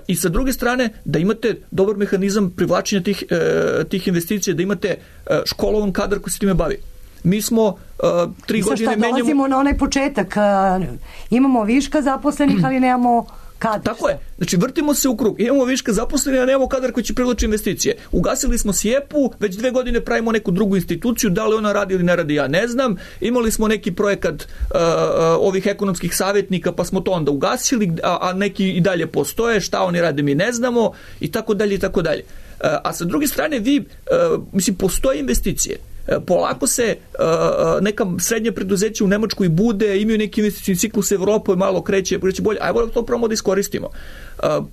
I sa druge strane, da imate dobar mehanizam privlačenja tih, e, tih investicija, da imate e, školovan kadar koji se time bavi. Mi smo e, tri Mislim godine šta, menjamo... dolazimo na onaj početak. Imamo viška zaposlenih, ali nemamo kadar. Tako je. Znači, vrtimo se u krug. Imamo viška zaposlenih, a nemamo kadar koji će privlačiti investicije. Ugasili smo Sjepu, već dve godine pravimo neku drugu instituciju, da li ona radi ili ne radi, ja ne znam. Imali smo neki projekat uh, ovih ekonomskih savjetnika, pa smo to onda ugasili, a, a neki i dalje postoje, šta oni rade mi ne znamo, i tako dalje, i tako dalje. Uh, a sa druge strane, vi, uh, mislim, postoje investicije. Polako se uh, neka srednja preduzeća u Nemačkoj bude, imaju neki investicijni ciklus, Evropa je malo kreće, kreće bolje, ajmo da to probamo da iskoristimo. Uh,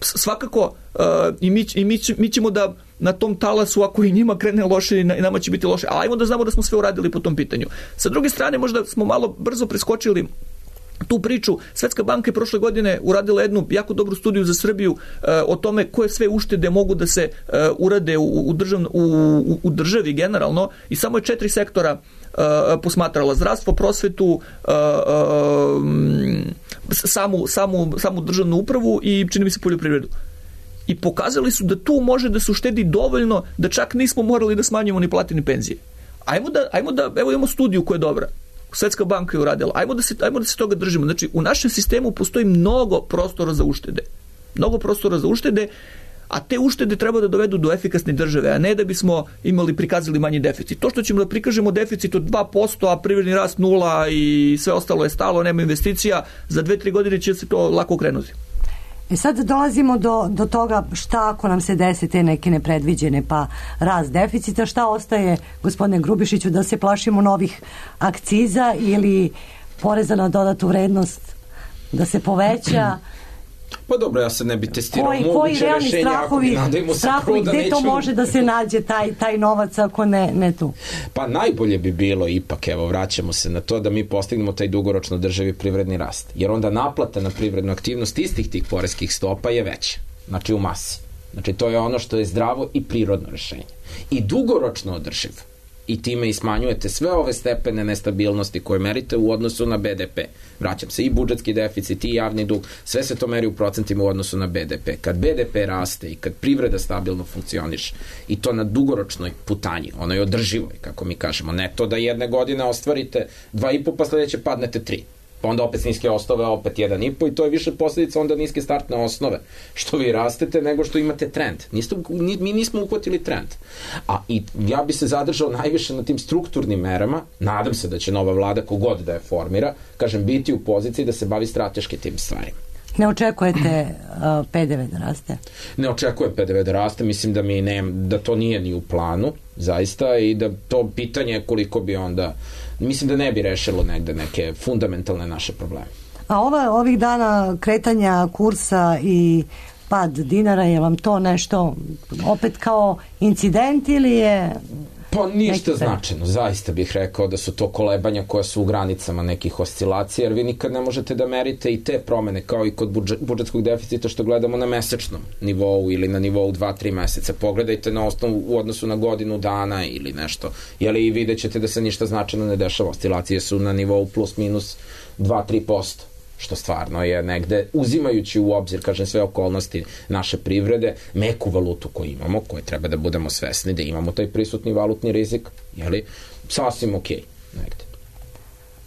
svakako uh, i, mi, i mi, mi ćemo da na tom talasu, ako i njima krene loše i nama će biti loše, ali ajmo da znamo da smo sve uradili po tom pitanju. Sa druge strane, možda smo malo brzo preskočili tu priču. Svetska banka je prošle godine uradila jednu jako dobru studiju za Srbiju uh, o tome koje sve uštede mogu da se uh, urade u, u, državno, u, u državi generalno, i samo je četiri sektora uh, posmatrala: zdravstvo, prosvetu, uh, uh, samu, samu, samu državnu upravu i, čini mi se, poljoprivredu. I pokazali su da tu može da se uštedi dovoljno da čak nismo morali da smanjimo ni plate ni penzije. Ajmo da, ajmo da, evo imamo studiju koja je dobra. Svetska banka je uradila. Ajmo da se, ajmo da se toga držimo. Znači, u našem sistemu postoji mnogo prostora za uštede. Mnogo prostora za uštede, a te uštede treba da dovedu do efikasne države, a ne da bismo imali, prikazali manji deficit. To što ćemo da prikažemo deficit od dva posto, a privredni rast nula i sve ostalo je stalo, nema investicija, za dve, tri godine će se to lako okrenuti. E sad dolazimo do, do toga šta ako nam se desi te neke nepredviđene pa rast deficita, šta ostaje, gospodine Grubišiću, da se plašimo novih akciza ili poreza na dodatu vrednost da se poveća. Pa dobro, ja sad ne bi testirao koji, koji moguće realni rešenja, strahovi, ako bi strahovi da gde neću... to može da se nađe taj, taj novac ako ne, ne tu? Pa najbolje bi bilo ipak, evo, vraćamo se na to da mi postignemo taj dugoročno drživi privredni rast. Jer onda naplata na privrednu aktivnost istih tih poreskih stopa je veća. Znači u masi. Znači to je ono što je zdravo i prirodno rešenje. I dugoročno održivo. I time i smanjujete sve ove stepene nestabilnosti koje merite u odnosu na B D P. Vraćam se, i budžetski deficit, i javni dug, sve se to meri u procentima u odnosu na B D P. Kad B D P raste i kad privreda stabilno funkcioniše, i to na dugoročnoj putanji, onoj održivoj, kako mi kažemo, ne to da jedne godine ostvarite dva i po, pa sledeće padnete tri. Pa onda opet niske osnove, opet jedan i po, i to je više posljedica onda niske startne osnove. Što vi rastete nego što imate trend. Niste, mi nismo uhvatili trend. A i ja bi se zadržao najviše na tim strukturnim merama. Nadam se da će nova vlada, kogod da je formira, kažem, biti u poziciji da se bavi strateški tim stvarima. Ne očekujete uh, P D V da raste? Ne očekujem P D V da raste, mislim da mi ne, da to nije ni u planu, zaista, i da to pitanje koliko bi onda, mislim da ne bi rešilo negde neke fundamentalne naše probleme. A ova, ovih dana kretanja kursa i pad dinara, je vam to nešto opet kao incident ili je... Pa ništa značajno, zaista bih rekao da su to kolebanja koja su u granicama nekih oscilacija, jer vi nikad ne možete da merite i te promene kao i kod budžet, budžetskog deficita što gledamo na mesečnom nivou ili na nivou dva tri meseca. Pogledajte na osnovu u odnosu na godinu dana ili nešto, jeli, i vidjet ćete da se ništa značajno ne dešava. Oscilacije su na nivou plus minus dva do tri posto. Što stvarno je negde, uzimajući u obzir, kažem, sve okolnosti naše privrede, meku valutu koju imamo, koje treba da budemo svesni da imamo taj prisutni valutni rizik, jeli, sasvim okej, negde.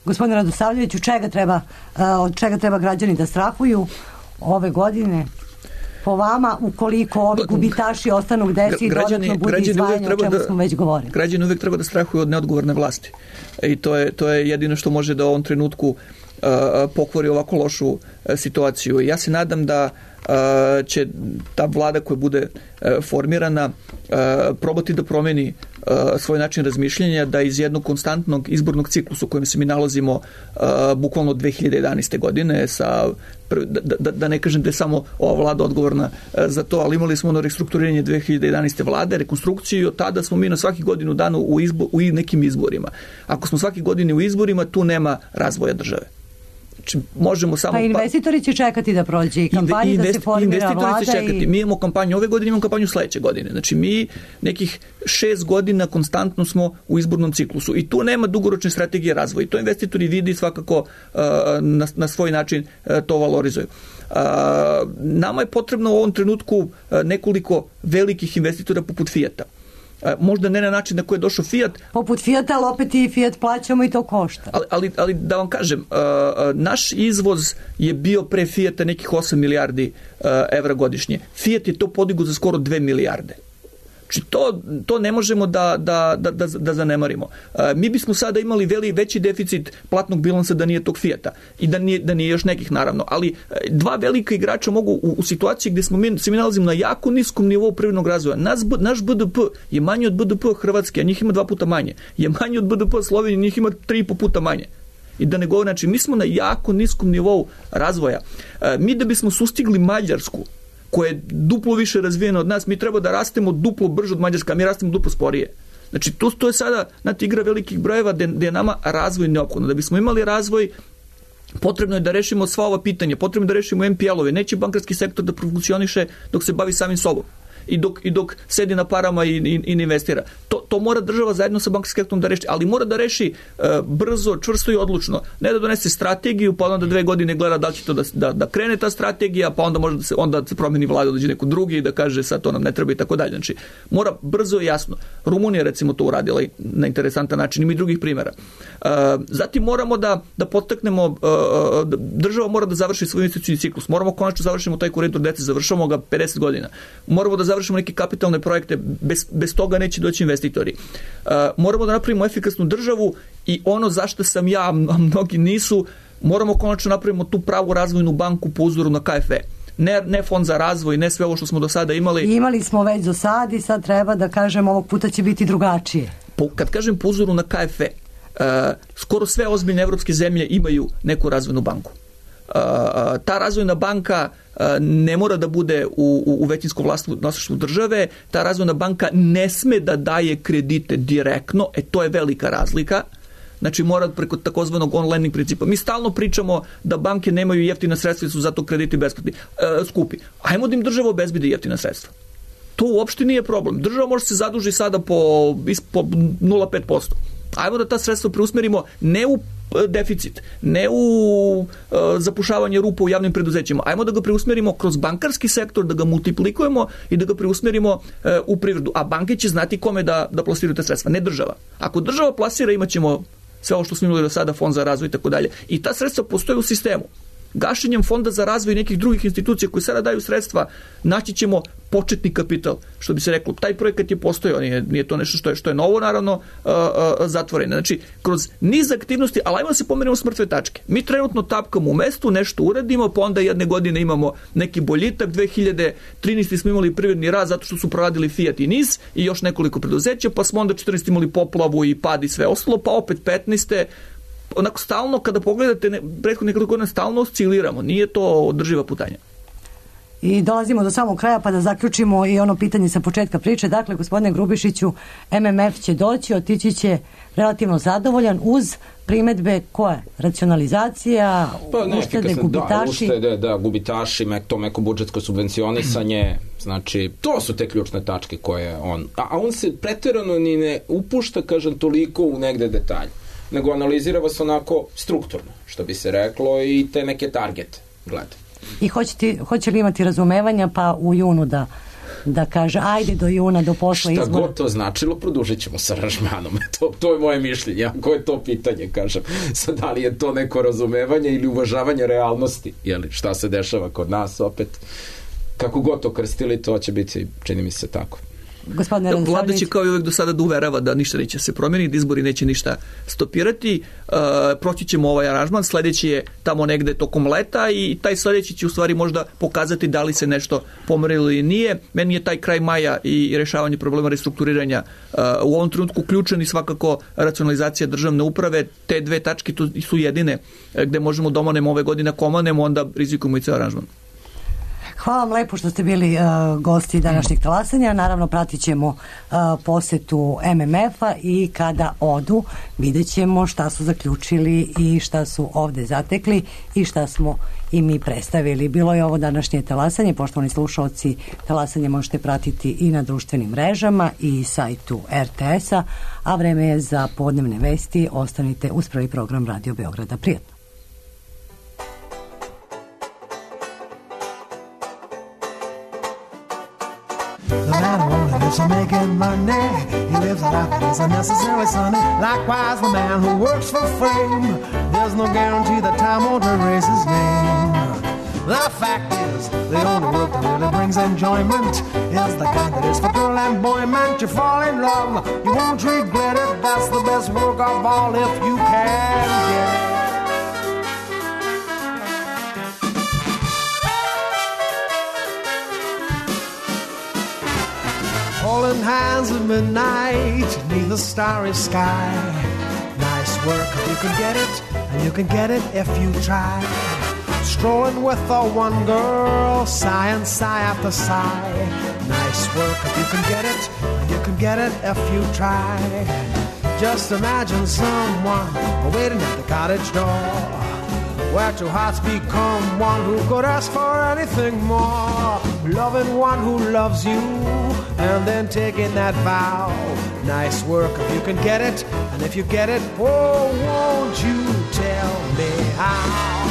Gospodine Radosavljević, od čega treba, od čega treba građani da strahuju ove godine? Po vama, ukoliko ovi gubitaši ostanu gde si i dodatno bude izdvajanje, o čemu da, smo već govorili? Građani uvek treba da strahuju od neodgovorne vlasti. I to je, to je jedino što može da u ovom trenutku pokvari ovako lošu situaciju. Ja se nadam da će ta vlada koja bude formirana probati da promeni svoj način razmišljanja, da iz jednog konstantnog izbornog ciklusa u kojem se mi nalazimo bukvalno od dve hiljade jedanaeste. godine, sa, da, da, da ne kažem da je samo ova vlada odgovorna za to, ali imali smo ono restrukturiranje dve hiljade jedanaeste. vlade, rekonstrukciju, i od tada smo mi na svaki godinu dana u, izbo, u nekim izborima. Ako smo svaki godine u izborima, tu nema razvoja države. Znači, možemo samo... Pa investitori će čekati da prođe i kampanji, da se formira vlada će čekati. I... Mi imamo kampanju ove godine, imamo kampanju sledeće godine. Znači, mi nekih šest godina konstantno smo u izbornom ciklusu i tu nema dugoročne strategije razvoja. To investitori vidi svakako uh, na, na svoj način uh, to valorizuju. Uh, nama je potrebno u ovom trenutku uh, nekoliko velikih investitora poput Fijata. Možda ne na način na koji je došao Fiat. Poput Fijata, ali opet i Fijat plaćamo i to košta. Ali, ali, ali da vam kažem, uh, naš izvoz je bio pre Fijata nekih osam milijardi uh, evra godišnje. Fijat je to podigao za skoro dve milijarde. Znači to, to ne možemo da, da, da, da, da zanemarimo. Uh, mi bismo sada imali veli, veći deficit platnog bilansa da nije tog Fijata i da nije, da nije još nekih naravno, ali dva velika igrača mogu u, u situaciji gde smo mi, se mi nalazimo na jako niskom nivou privrednog razvoja. Nas, naš B D P je manji od B D P Hrvatske, a njih ima dva puta manje. Je manji od B D P Slovenije, njih ima tri i po puta manje. I da ne govorim, znači mi smo na jako niskom nivou razvoja. Uh, mi da bismo sustigli Mađarsku, koja je duplo više razvijena od nas, mi treba da rastemo duplo brže od Mađarska, mi rastemo duplo sporije. Znači, to, to je sada, znate, igra velikih brojeva gde, gde je nama razvoj neophodno. Da bismo imali razvoj, potrebno je da rešimo sva ova pitanja, potrebno je da rešimo N P L-ove, neće bankarski sektor da funkcioniše dok se bavi samim sobom i dok, i dok sedi na parama i, i, i investira. To, to mora država zajedno sa bankarskim sektorom da reši, ali mora da reši uh, brzo, čvrsto i odlučno. Ne da donese strategiju, pa onda dve godine gleda da li će to da, da, da krene ta strategija, pa onda može da se, onda se promeni vlada, dođe neko drugi i da kaže sad to nam ne treba i tako dalje. Znači, mora brzo i jasno. Rumunija recimo to uradila na interesantan način, ima i drugih primjera. Uh, zatim moramo da, da podstaknemo, uh, država mora da završi svoj investicioni ciklus. Moramo konačno završimo taj koridor dece, završamo ga pedeset godina. Moramo da završimo neke kapitalne projekte, bez, bez toga neće doći investitori. Uh, moramo da napravimo efikasnu državu i ono zašto sam ja, a mnogi nisu, moramo konačno napravimo tu pravu razvojnu banku po uzoru na K F E. Ne, ne fond za razvoj, ne sve ovo što smo do sada imali. I imali smo već do sad i sad treba da kažem ovog puta će biti drugačije. Po, kad kažem po uzoru na K F E, uh, skoro sve ozbiljne evropske zemlje imaju neku razvojnu banku. ta razvojna banka ne mora da bude u, u većinskom vlasništvu države, ta razvojna banka ne sme da daje kredite direktno, e to je velika razlika. Znači mora preko takozvanog on-lending principa. Mi stalno pričamo da banke nemaju jeftina sredstva i su zato krediti besplatni, e, skupi. Ajmo da im država obezbedi jeftina sredstva. To uopšte nije problem. Država može se zaduži sada po, po nula zarez pet posto. Ajmo da ta sredstva preusmerimo ne u deficit, ne u uh, zapušavanje rupa u javnim preduzećima. Ajmo da ga preusmerimo kroz bankarski sektor, da ga multiplikujemo i da ga preusmerimo uh, u privredu. A banke će znati kome da, da plasiraju te sredstva, ne država. Ako država plasira, imat ćemo sve ovo što smo imali do sada, fond za razvoj i tako dalje. I ta sredstva postoje u sistemu. Gašenjem fonda za razvoj nekih drugih institucija koji sada daju sredstva, naći ćemo početni kapital, što bi se reklo. Taj projekat je postojao, nije, nije to nešto što je, što je novo, naravno, uh, uh, zatvoreno. Znači, kroz niz aktivnosti, ali ajmo da se pomerimo s mrtve tačke. Mi trenutno tapkamo u mestu, nešto uradimo, pa onda jedne godine imamo neki boljitak, dve hiljade trinaeste. smo imali privredni rast zato što su proradili Fiat i NIS i još nekoliko preduzeća, pa smo onda četrnaeste. imali poplavu i pad i sve ostalo, pa opet petnaeste. Onako stalno, kada pogledate prethodne nekoliko godina, stalno osciliramo. Nije to održiva putanja. I dolazimo do samog kraja pa da zaključimo i ono pitanje sa početka priče. Dakle, gospodine Grubišiću, M M F će doći, otići će relativno zadovoljan uz primetbe koje? Racionalizacija, pa, uštede, gubitaši? Da, uštede, da, gubitaši, to meko budžetsko subvencionisanje, znači, to su te ključne tačke koje on... A, a on se pretjerano ni ne upušta, kažem, toliko u negde detalje, nego analizira vas onako strukturno, što bi se reklo, i te neke targete gleda. I hoće, hoće li imati razumevanja pa u junu da, da kaže ajde do juna, do posla izbora? Šta god to značilo, produžit ćemo sa aranžmanom. To, to je moje mišljenje. Ako je to pitanje, kažem. Sad, da li je to neko razumevanje ili uvažavanje realnosti? Jeli, šta se dešava kod nas opet? Kako god to krstili, to će biti, čini mi se tako. Vlada će kao i uvek do sada da uverava da ništa neće se promeniti, da izbori neće ništa stopirati. Uh, proći ćemo ovaj aranžman, sledeći je tamo negde tokom leta i taj sledeći će u stvari možda pokazati da li se nešto pomerilo ili nije. Meni je taj kraj maja i rešavanje problema restrukturiranja uh, u ovom trenutku ključan i svakako racionalizacija državne uprave. Te dve tačke tu su jedine gde možemo da omanemo ove godine, ako omanemo, onda rizikujemo i ceo aranžman. Hvala vam lepo što ste bili uh, gosti današnjeg talasanja. Naravno, pratit ćemo uh, posetu M M F-a i kada odu vidjet ćemo šta su zaključili i šta su ovde zatekli i šta smo i mi predstavili. Bilo je ovo današnje talasanje. Poštovani slušalci, talasanje možete pratiti i na društvenim mrežama i sajtu R T S-a, a vreme je za podnevne vesti. Ostanite uz prvi program Radio Beograda. Prijatno. The man who only lives for making money, he lives a life that is unnecessarily sunny. Likewise, the man who works for fame, there's no guarantee that time won't erase his name. The fact is, the only work that really brings enjoyment is the kind that is for girl and boy meant. You fall in love, you won't regret it. That's the best work of all if you can get it. Holding hands at midnight beneath the starry sky. Nice work if you can get it, and you can get it if you try. Strolling with the one girl, sigh and sigh after sigh. Nice work if you can get it, and you can get it if you try. Just imagine someone waiting at the cottage door, where two hearts become one who could ask for anything more. Loving one who loves you, and then taking that vow. Nice work if you can get it, and if you get it, oh, won't you tell me how?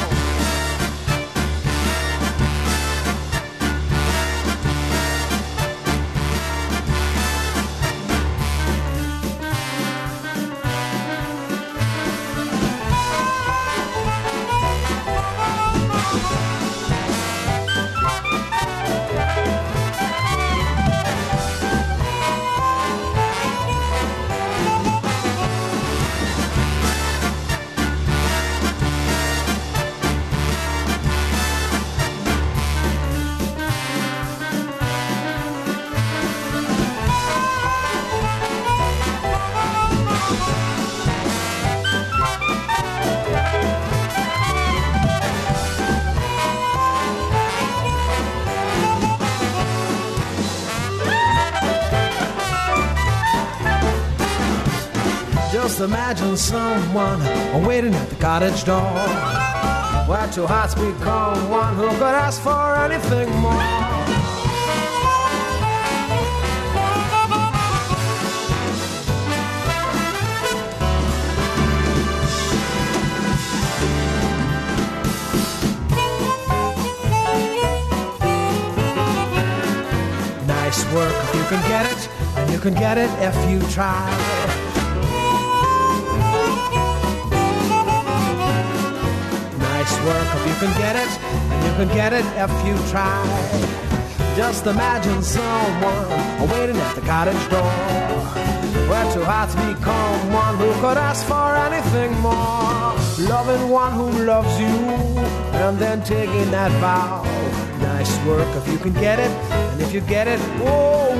Just imagine someone waiting at the cottage door, where two hearts become one, who could ask for anything more. Nice work if you can get it, and you can get it if you try. Nice work if you can get it, and you can get it if you try. Just imagine someone waiting at the cottage door, where two hearts become one, who could ask for anything more. Loving one who loves you, and then taking that vow. Nice work if you can get it, and if you get it, oh,